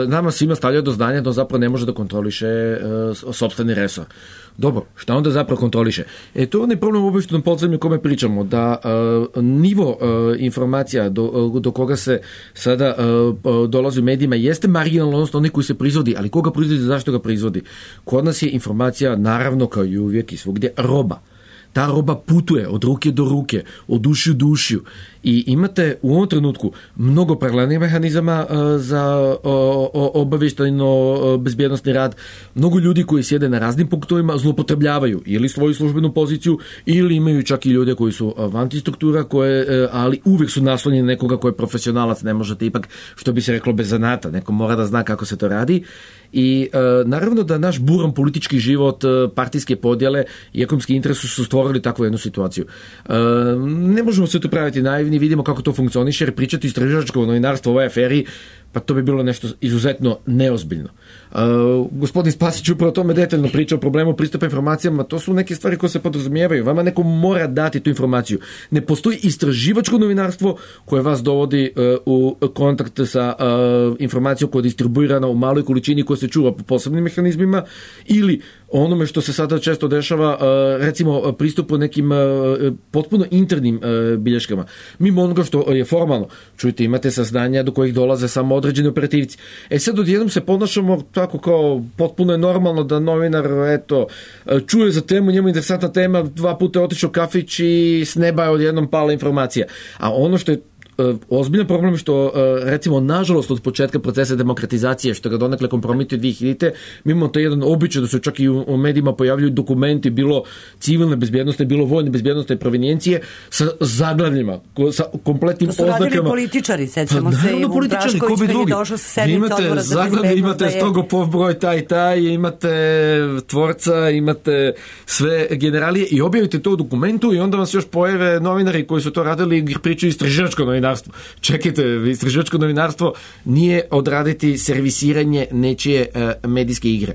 nama svima stavlja do znanja da on zapravo ne može da kontroliše sopstveni resor. Dobro, šta onda zapravo kontroliše? To je onaj problem u obavještajnom podzemlju o kome pričamo, da nivo informacija do koga se sada dolazi u medijima jeste marginalno, odnosno onaj koji se proizvodi, ali koga proizvodi, zašto ga proizvodi? Kod nas je informacija, naravno kao i uvijek i svugdje, roba. Ta roba putuje od ruke do ruke, od ušiju do ušiju i imate u ovom trenutku mnogo paralelnih mehanizama za obavještajno bezbjednosni rad, mnogo ljudi koji sjede na raznim punktovima zloupotrebljavaju ili svoju službenu poziciju ili imaju čak i ljude koji su vantistruktura, ali uvijek su naslonjeni na nekoga koji je profesionalac, ne možete ipak, što bi se reklo, bez zanata, neko mora da zna kako se to radi. I naravno da naš buran politički život, partijske podjele i ekonomski interes su stvorili takvu jednu situaciju. Ne možemo se tu praviti naivni, vidimo kako to funkcioniše, jer pričati istraživačko novinarstvo u ovoj aferi pa to bi bilo nešto izuzetno neozbiljno. Gospodin Spasić upravo o tome detaljno priča o problemu pristupa informacijama. To su neke stvari koje se podrazumijevaju. Vama neko mora dati tu informaciju. Ne postoji istraživačko novinarstvo koje vas dovodi u kontakt sa informacijom koja je distribuirana u maloj količini koja se čuva po posebnim mehanizmima, ili onome što se sada često dešava, recimo pristupu nekim potpuno internim bilješkama. Mimo onoga što je formalno. Čujte, imate saznanja do kojih dolaze samo određeni operativci. Sad odjednom se ponašamo tako kao potpuno je normalno da novinar čuje za temu, njemu interesantna tema, 2 puta je otišao kafić i s neba je odjednom pala informacija. A ono što je ozbiljan problem je što, recimo, nažalost od početka procesa demokratizacije, što ga donekle kompromituje 2000-te, mi imamo to jedan običaj da se čak i u medijima pojavljuju dokumenti, bilo civilne bezbjednosti, bilo vojne bezbjednosti i provenijencije, sa zaglavljima, sa kompletnim oznakama. To su radili političari, sećamo se, i Vuk Drašković kad je došao sa sednice odbora za bezbjednost. Imate Strogopov broj taj, imate tvorca, imate sve generalije i objavite to u dokumentu i onda vam se još pojave novinari koji su to radili i pričaju istraživačko novinarstvo. Čekajte, istraživačko novinarstvo nije odraditi servisiranje nečije medijske igre.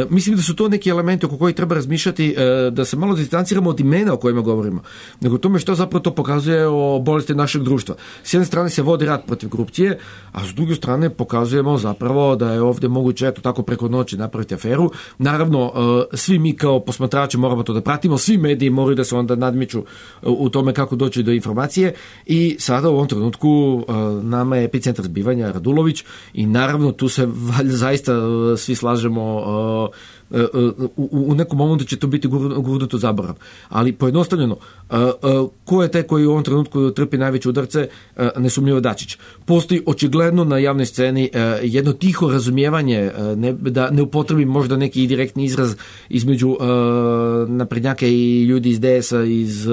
Mislim da su to neki elementi oko kojih treba razmišljati, da se malo distanciramo od imena o kojima govorimo, nego tome što zapravo to pokazuje o bolesti našeg društva. S jedne strane se vodi rat protiv korupcije, a s druge strane pokazujemo zapravo da je ovdje moguće eto tako preko noći napraviti aferu. Naravno, svi mi kao posmatrači moramo to da pratimo, svi mediji moraju da se onda nadmiču u tome kako doći do informacije i sada u ovom trenutku nama je epicentar zbivanja Radulović i naravno tu se zaista svi slažemo, u nekom momentu će to biti gurnuto zaborav. Ali pojednostavljeno, ko je taj koji u ovom trenutku trpi najveće udarce? Nesumnjivo Dačić. Postoji očigledno na javnoj sceni jedno tiho razumijevanje, da ne upotrebim možda neki direktni izraz između naprednjaka i ljudi iz DS-a, iz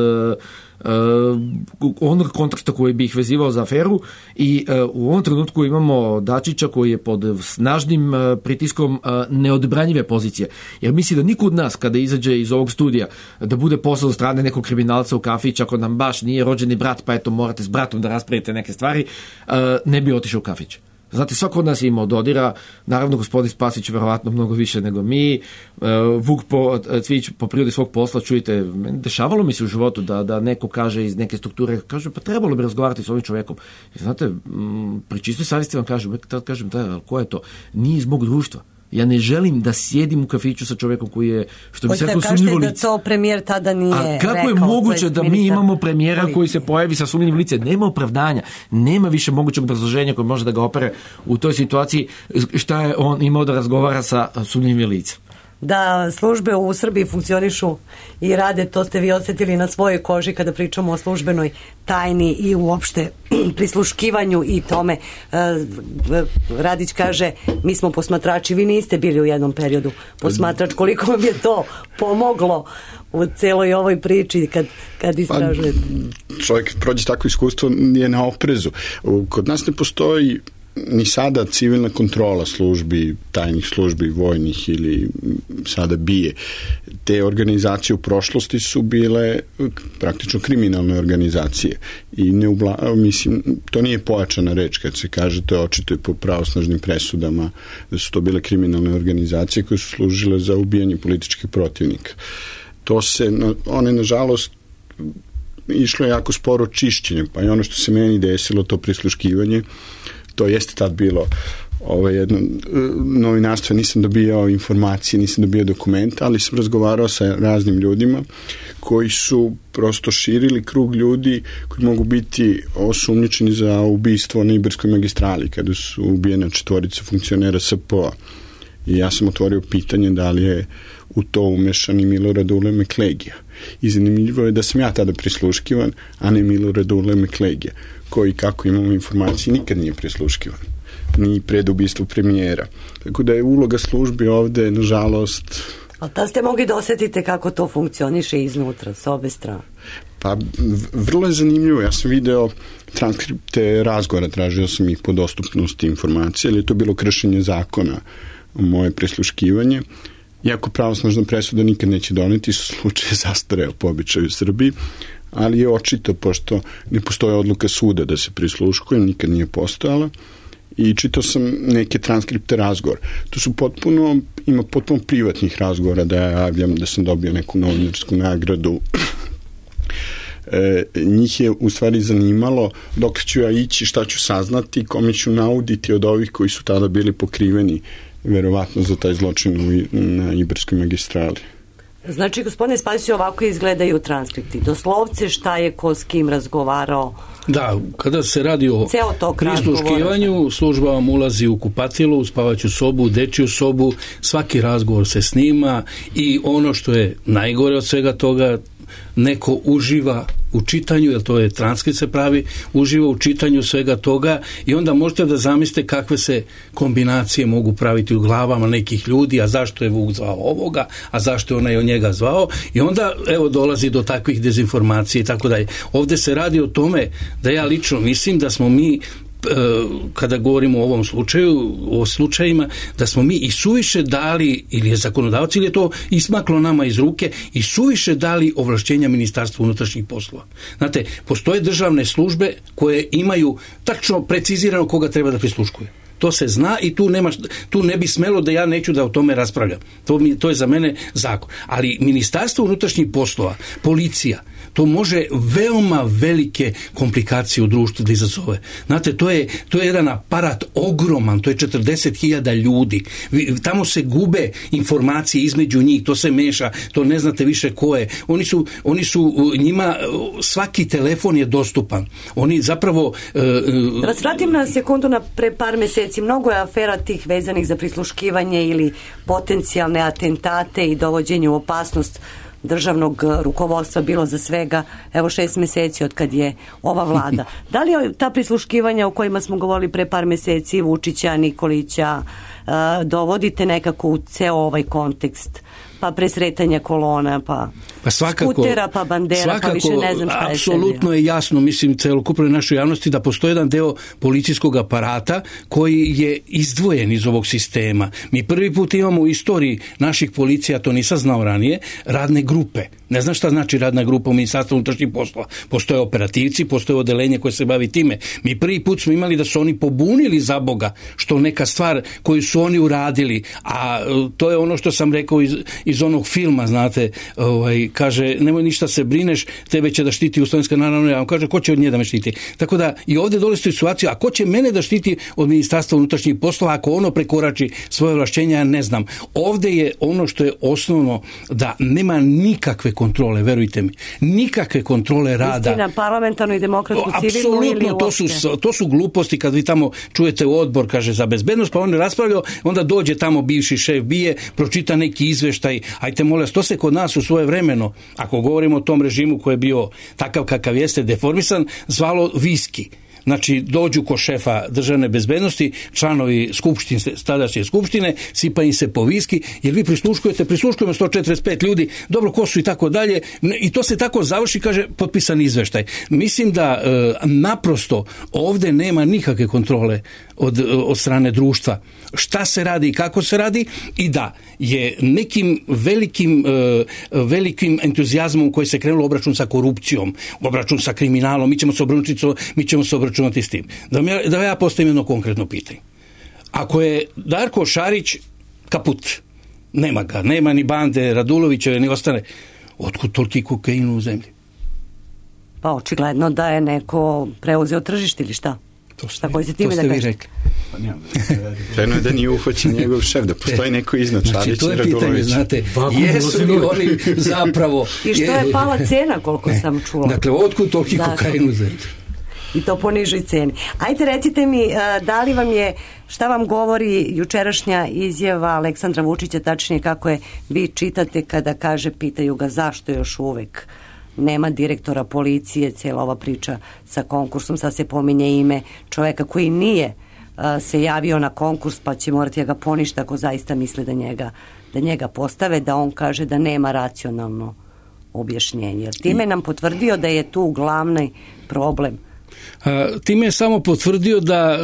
onog konteksta koji bi ih vezivao za aferu i u ovom trenutku imamo Dačića koji je pod snažnim pritiskom neodbranjive pozicije. Jer misli da niko od nas kada izađe iz ovog studija da bude poslan od strane nekog kriminalca u kafić, ako nam baš nije rođeni brat pa eto morate s bratom da raspravite neke stvari, ne bi otišao u kafić. Znate, svako od nas je imao dodira, naravno gospodin Spasić verovatno mnogo više nego mi, Vuk Cvijić po prirodi svog posla, čujte, dešavalo mi se u životu da neko kaže iz neke strukture, kaže pa trebalo bi razgovarati s ovim čovjekom. I znate, pri čistoj savjesti vam kažem, ko je to? Nije iz mog društva. Ja ne želim da sjedim u kafiću sa čovjekom koji je, što bi se rekao, sumnjivo lice. Da to premijer tada nije rekao. A kako je moguće da mi imamo premijera koji se pojavi sa sumnjivim licem? Nema opravdanja, nema više mogućeg obrazloženja koje može da ga opere u toj situaciji šta je on imao da razgovara sa sumnjivim licem. Da službe u Srbiji funkcionišu i rade, to ste vi osjetili na svojoj koži kada pričamo o službenoj tajni i uopšte prisluškivanju i tome. Radić kaže, mi smo posmatrači, vi niste bili u jednom periodu posmatrač, koliko vam je to pomoglo u celoj ovoj priči kad istražujete? Čovjek prođe takvo iskustvo je na oprezu. Kod nas ne postoji ni sada civilna kontrola službi, tajnih službi, vojnih ili sada BIA. Te organizacije u prošlosti su bile praktično kriminalne organizacije i mislim, to nije pojačana reč kad se kaže, to je očito i po pravosnažnim presudama da su to bile kriminalne organizacije koje su služile za ubijanje političkih protivnika. One nažalost išlo je jako sporo čišćenje, pa i ono što se meni desilo, to prisluškivanje, to jeste tad bilo jedno novinarstvo, nisam dobijao informacije, nisam dobijao dokumente, ali sam razgovarao sa raznim ljudima koji su prosto širili krug ljudi koji mogu biti osumnjičeni za ubistvo na Iberskoj magistrali kada su ubijena 4 funkcionera SP-a. I ja sam otvorio pitanje da li je u to umešan i Milorad Ule Meklegija. I zanimljivo je da sam ja tada prisluškivan, a ne Milorad Ule Meklegija, koji, kako imamo informacije, nikad nije prisluškivan, ni pred ubistvo premijera. Tako da je uloga službi ovde, nažalost... Ali da ste mogli da osjetite kako to funkcioniše iznutra, s obe strane? Pa, vrlo je zanimljivo. Ja sam video transkripte razgovora, tražio sam ih po dostupnosti informacije, ali je to bilo kršenje zakona, moje prisluškivanje. Iako pravosnažna presuda nikad neće doneti, slučaj je zastareo po običaju u Srbiji, ali je očito, pošto ne postoje odluka suda da se prisluškuje, nikad nije postojala, i čitao sam neke transkripte razgovora. To su ima potpuno privatnih razgovora, da ja javljam da sam dobio neku novinarsku nagradu. Njih je u stvari zanimalo dok ću ja ići, šta ću saznati, kome ću nauditi od ovih koji su tada bili pokriveni verovatno za taj zločin na Ibarskoj magistrali. Znači, gospodine Spasiću, ovako izgledaju transkripti. Doslovce šta je ko s kim razgovarao. Da, kada se radi o prisluškivanju, služba vam ulazi u kupatilu, u spavaću sobu, u dečiju sobu, svaki razgovor se snima i ono što je najgore od svega toga, neko uživa u čitanju, jer to je transkript se pravi, uživa u čitanju svega toga i onda možete da zamislite kakve se kombinacije mogu praviti u glavama nekih ljudi, a zašto je Vuk zvao ovoga, a zašto je onaj od njega zvao, i onda evo dolazi do takvih dezinformacija i tako dalje. Ovdje se radi o tome da ja lično mislim da smo mi, kada govorimo o ovom slučaju, o slučajima, da smo mi i suviše dali, ili je zakonodavac, ili je to ismaklo nama iz ruke, i suviše dali ovlašćenja Ministarstvu unutrašnjih poslova. Znate, postoje državne službe koje imaju tačno precizirano koga treba da prisluškuje. To se zna i tu ne bi smelo da ja neću da o tome raspravljam. To je za mene zakon. Ali Ministarstvo unutrašnjih poslova, policija, to može veoma velike komplikacije u društvu da izazove. Znate, to je jedan aparat ogroman, to je 40.000 ljudi. Tamo se gube informacije između njih, to se meša, to ne znate više ko je. Oni su njima, svaki telefon je dostupan. Oni zapravo... Da vas vratim na sekundu na pre par meseci. Mnogo je afera tih vezanih za prisluškivanje ili potencijalne atentate i dovođenje u opasnost državnog rukovodstva bilo za svega, evo 6 meseci od kad je ova vlada. Da li ta prisluškivanja o kojima smo govorili pre par meseci, Vučića, Nikolića, dovodite nekako u ceo ovaj kontekst? Pa presretanja kolona, pa svakako, skutera, pa bandera, svakako, pa više ne znam šta je. Apsolutno je jasno, mislim, celokupnoj našoj javnosti da postoji jedan deo policijskog aparata koji je izdvojen iz ovog sistema. Mi prvi put imamo u istoriji naših policija, to nisam znao ranije, radne grupe. Ne znam šta znači radna grupa u Ministarstvu unutrašnjih poslova. Postoje operativci, postoje odeljenje koje se bavi time. Mi prvi put smo imali da su oni pobunili za Boga, što neka stvar koju su oni uradili, a to je ono što sam rekao iz onog filma, znate, kaže, nemoj ništa se brineš, tebe će da štiti Jugoslovenska narodna armija. On kaže, ko će od nje da me štiti? Tako da i ovdje dolazi situaciju, a ko će mene da štiti od Ministarstva unutrašnjih poslova ako ono prekorači svoje ovlašćenja, ja ne znam. Ovdje je ono što je osnovno, da nema nikakve kontrole, verujte mi. Nikakve kontrole rada. Istina, parlamentarnu i demokratsku civilnu ili uopšte? To su gluposti kad vi tamo čujete odbor, kaže, za bezbednost, pa on je raspravljao, onda dođe tamo bivši šef BIA, pročita neki izveštaj, ajte molim vas, to se kod nas u svoje vremeno, ako govorimo o tom režimu koji je bio takav kakav jeste, deformisan, zvalo viski. Znači, dođu ko šefa državne bezbednosti, članovi tadašnje skupštine, sipa im se po viski, jer vi prisluškujemo 145 ljudi, dobro, ko su i tako dalje, i to se tako završi, kaže, potpisan izveštaj. Mislim da naprosto ovdje nema nikakve kontrole od strane društva. Šta se radi i kako se radi, i da je nekim velikim entuzijazmom koji se krenulo obračun sa korupcijom, obračun sa kriminalom, mi ćemo se obračunati s tim. Da ja postavim jedno konkretno pitanje. Ako je Darko Šarić kaput, nema ga, nema ni bande Radulovićeve, ni ostane, otkud toliki kokain u zemlji? Pa očigledno da je neko preuzeo tržište ili šta? To ste vi rekli. Treno je da nije uhoćen njegov šef, da postoji neko iznad Šarića i Radulovića. To je pitanje, znate, jesu li oni zapravo... I što je pala cena, koliko sam čula? Dakle, otkud toliki kokain u zemlji? I to po nižoj ceni. Ajde, recite mi, da li vam je, šta vam govori jučerašnja izjava Aleksandra Vučića, tačnije kako je vi čitate kada kaže, pitaju ga zašto još uvek nema direktora policije, cijela ova priča sa konkursom, sad se pominje ime čoveka koji nije se javio na konkurs, pa će morati da ga poništa ako zaista misle da njega postave, da on kaže da nema racionalno objašnjenje. Jer time nam potvrdio da je tu glavni problem. Time je samo potvrdio da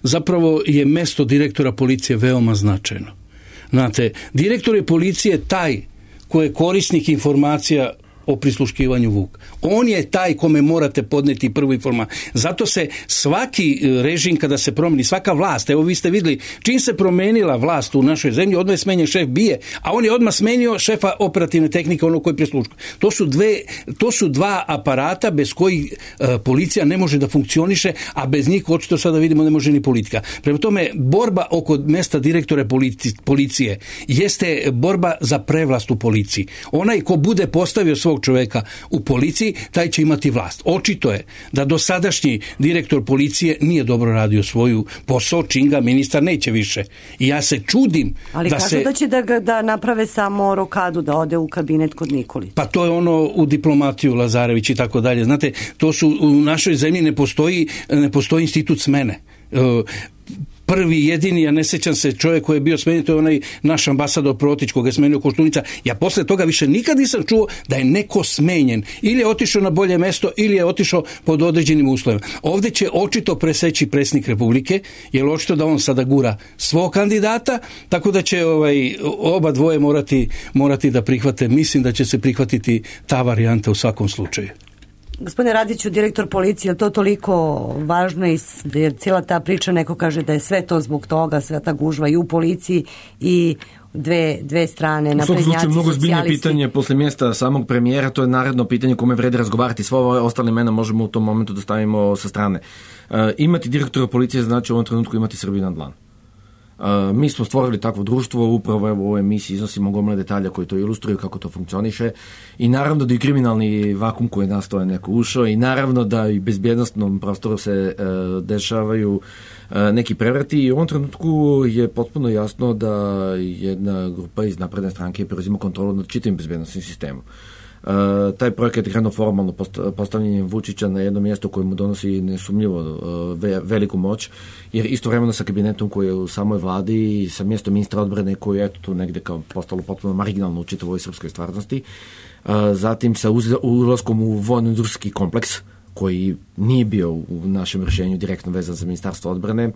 zapravo je mesto direktora policije veoma značajno. Znate, direktor je policije taj koji je korisnik informacija o prisluškivanju Vuk. On je taj kome morate podneti prvu informaciju. Zato se svaki režim kada se promeni, svaka vlast, evo vi ste vidjeli, čim se promenila vlast u našoj zemlji, odmah je smenjen šef BIA, a on je odmah smenio šefa operativne tehnike, ono koji prisluškuje. To su dva aparata bez kojih policija ne može da funkcioniše, a bez njih, očito sada vidimo, ne može ni politika. Prema tome, borba oko mesta direktora policije jeste borba za prevlast u policiji. Onaj ko bude postavio svog čoveka u policiji, taj će imati vlast. Očito je da dosadašnji direktor policije nije dobro radio svoju posao, čim ga ministar neće više. I ja se čudim ali da kažu da će da naprave samo rokadu, da ode u kabinet kod Nikolića. Pa to je ono u diplomatiju Lazarević i tako dalje. Znate, to su u našoj zemlji ne postoji institut smene. Prvi, jedini, ja ne sjećam se, čovjek koji je bio smenjen, to je onaj naš ambasador Protić koga je smenio Koštunica. Ja posle toga više nikad nisam čuo da je neko smenjen. Ili je otišao na bolje mesto, ili je otišao pod određenim uslovima. Ovdje će očito preseći predsjednik Republike, jer očito da on sada gura svog kandidata, tako da će oba dvoje morati da prihvate. Mislim da će se prihvatiti ta varijanta u svakom slučaju. Gospodine Radiću, direktor policije, je to toliko važno jer cijela ta priča, neko kaže da je sve to zbog toga, sve ta gužva i u policiji i dve strane, naprednjaci, socijalisti. U svom slučaju mnogo zbiljnije pitanje posle mjesta samog premijera, to je naredno pitanje kome vredi razgovarati. Sve ove ostale imena možemo u tom momentu da stavimo sa strane. Imati direktora policije znači u ovom trenutku imati Srbiju na dlanu. Mi smo stvorili takvo društvo, upravo evo u ovoj emisiji iznosimo gomile detalja koji to ilustruju kako to funkcioniše i naravno da i kriminalni vakum koji je nastao je neko ušao i naravno da i bezbjednostnom prostoru se dešavaju neki prevrati i u ovom trenutku je potpuno jasno da jedna grupa iz napredne stranke preuzima kontrolu nad čitavim bezbjednostnim sistemom. Taj projekat je krenuo formalno postavljanjem Vučića na jedno mjesto koje mu donosi nesumnjivo veliku moć, jer istovremeno sa kabinetom koji je u samoj vladi i sa mjestom ministra odbrane koji je eto tu negdje kao postalo potpuno marginalno u čitavoj srpskoj stvarnosti, zatim sa ulaskom u vojno-industrijski kompleks koji nije bio u našem rješenju direktno vezan za ministarstvo odbrane,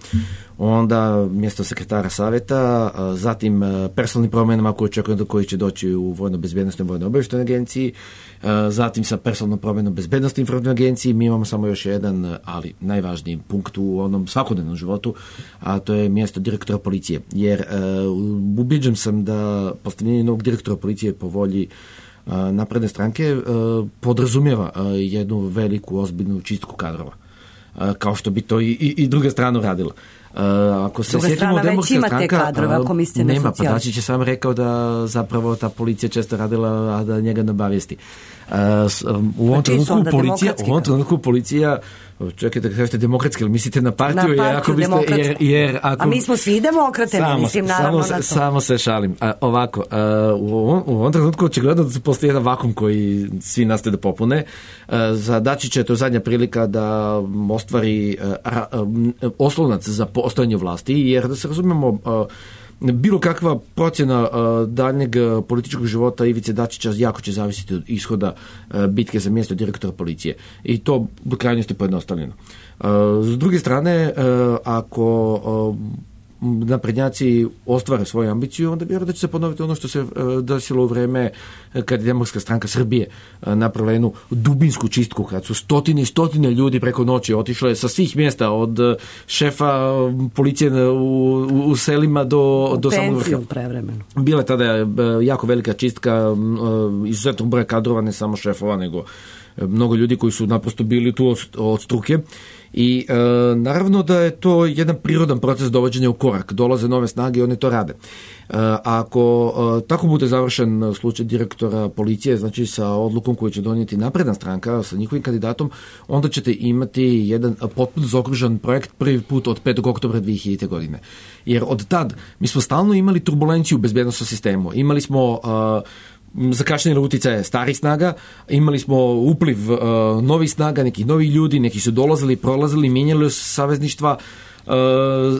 onda mjesto sekretara savjeta, zatim personalnim promjenama koje očekujem koji će doći u vojno-bezbjednostnoj vojno-obavještajnoj agenciji, zatim sa personalnom promjenom bezbjednostnoj informativnoj agenciji. Mi imamo samo još jedan, ali najvažniji punkt u onom svakodnevnom životu, a to je mjesto direktora policije. Jer ubiđen sam da postavljanje novog direktora policije po volji napredne stranke podrazumijeva jednu veliku ozbiljnu čistku kadrova, kao što bi to i druga strana radila. Ako se sjetimo demokratska stranka, nema, pa Dačić je sam rekao da zapravo ta policija često radila, a da njega ne obavijesti. U ovom trenutku policija, čekajte da kažete demokratski, ali mislite na partiju? A mi smo svi demokrate, mislim naravno na to. Samo se šalim. Ovako, u ovom trenutku očigledno da postoji jedan vakum koji svi nastoje da popune. Za Dačića je to zadnja prilika da ostvari oslonac za postojanje vlasti, jer da se razumemo, bilo kakva procjena daljnjeg političkog života Ivice Dačića jako će zavisiti od ishoda bitke za mjesto direktora policije. I to do krajnosti pojednostavljeno. S druge strane, ako naprednjaci ostvare svoju ambiciju, onda vjerujem da će se ponoviti ono što se desilo u vreme kad je Demokratska stranka Srbije napravila jednu dubinsku čistku, kad su stotine i stotine ljudi preko noći otišle sa svih mjesta, od šefa policije u selima do samog vrha. Bila je tada jako velika čistka, izuzetnog broja kadrova, ne samo šefova, nego mnogo ljudi koji su naprosto bili tu od struke. I naravno da je to jedan prirodan proces dovođenja u korak. Dolaze nove snage i one to rade. Ako tako bude završen slučaj direktora policije, znači sa odlukom koju će donijeti napredna stranka, sa njihovim kandidatom, onda ćete imati jedan potpuno zaokružen projekt prvi put od 5. oktobra 2000. godine. Jer od tad mi smo stalno imali turbulenciju u bezbjednosnom sistemu. Imali smo zakašnjene uticaje starih snaga, imali smo upliv novih snaga, nekih novih ljudi, neki su dolazili, prolazili, mijenjali savezništva,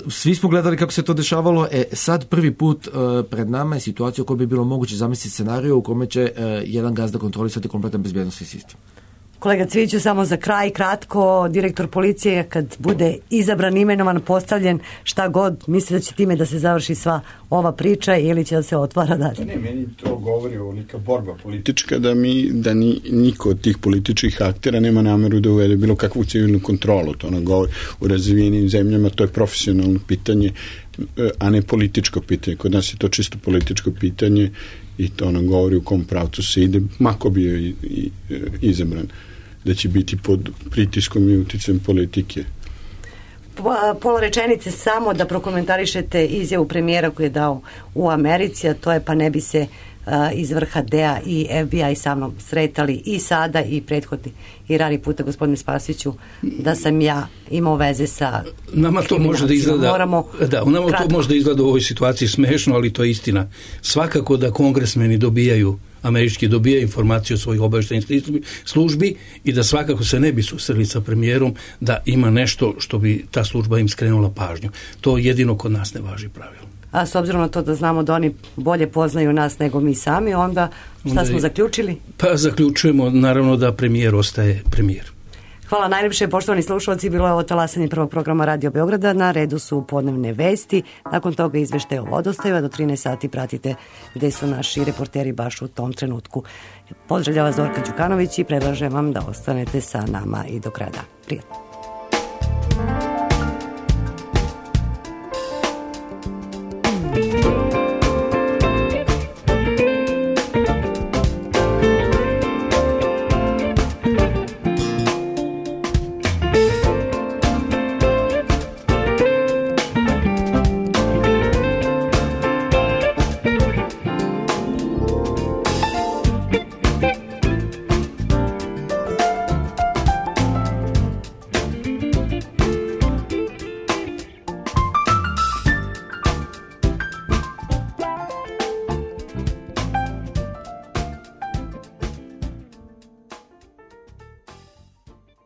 svi smo gledali kako se to dešavalo. Sad prvi put pred nama je situacija u kojoj bi bilo moguće zamisliti scenariju u kome će jedan gazda kontrolisati kompletan bezbjednosni sistem. Kolega Cviću, samo za kraj, kratko, direktor policije kad bude izabran, imenovan, postavljen, šta god, misli da će time da se završi sva ova priča ili će da se otvara dalje? Ne, meni to govori ovolika borba politička da niko od tih političkih aktera nema nameru da uvede bilo kakvu civilnu kontrolu. To nam govori u razvijenim zemljama, to je profesionalno pitanje, a ne političko pitanje. Kod nas je to čisto političko pitanje i to nam govori u kom pravcu se ide, mako bio i izabran, da će biti pod pritiskom i uticajem politike. Pola rečenice samo da prokomentarišete izjavu premijera koju je dao u Americi, a to je pa ne bi se iz vrha DEA i FBI sa mnom sretali i sada i prethodni i rani puta, gospodine Spasiću, da sam ja imao veze sa nama to može da izgleda, nama to može da izgleda u ovoj situaciji smešno, ali to je istina. Svakako da kongresmeni američki dobijaju informaciju o svojih obavještajnih službi i da svakako se ne bi susreli sa premijerom da ima nešto što bi ta služba im skrenula pažnju. To jedino kod nas ne važi pravilo. A s obzirom na to da znamo da oni bolje poznaju nas nego mi sami, onda šta smo zaključili? Pa zaključujemo naravno da premijer ostaje premijer. Hvala najljepše, poštovani slušalci, bilo je ovo talasanje prvog programa Radio Beograda, na redu su podnevne vesti, nakon toga izveštaj o vodostaju, a do 13 sati pratite gde su naši reporteri baš u tom trenutku. Pozdravlja vas Zorka Đukanović i predlažem vam da ostanete sa nama i do kraja. Prijatno.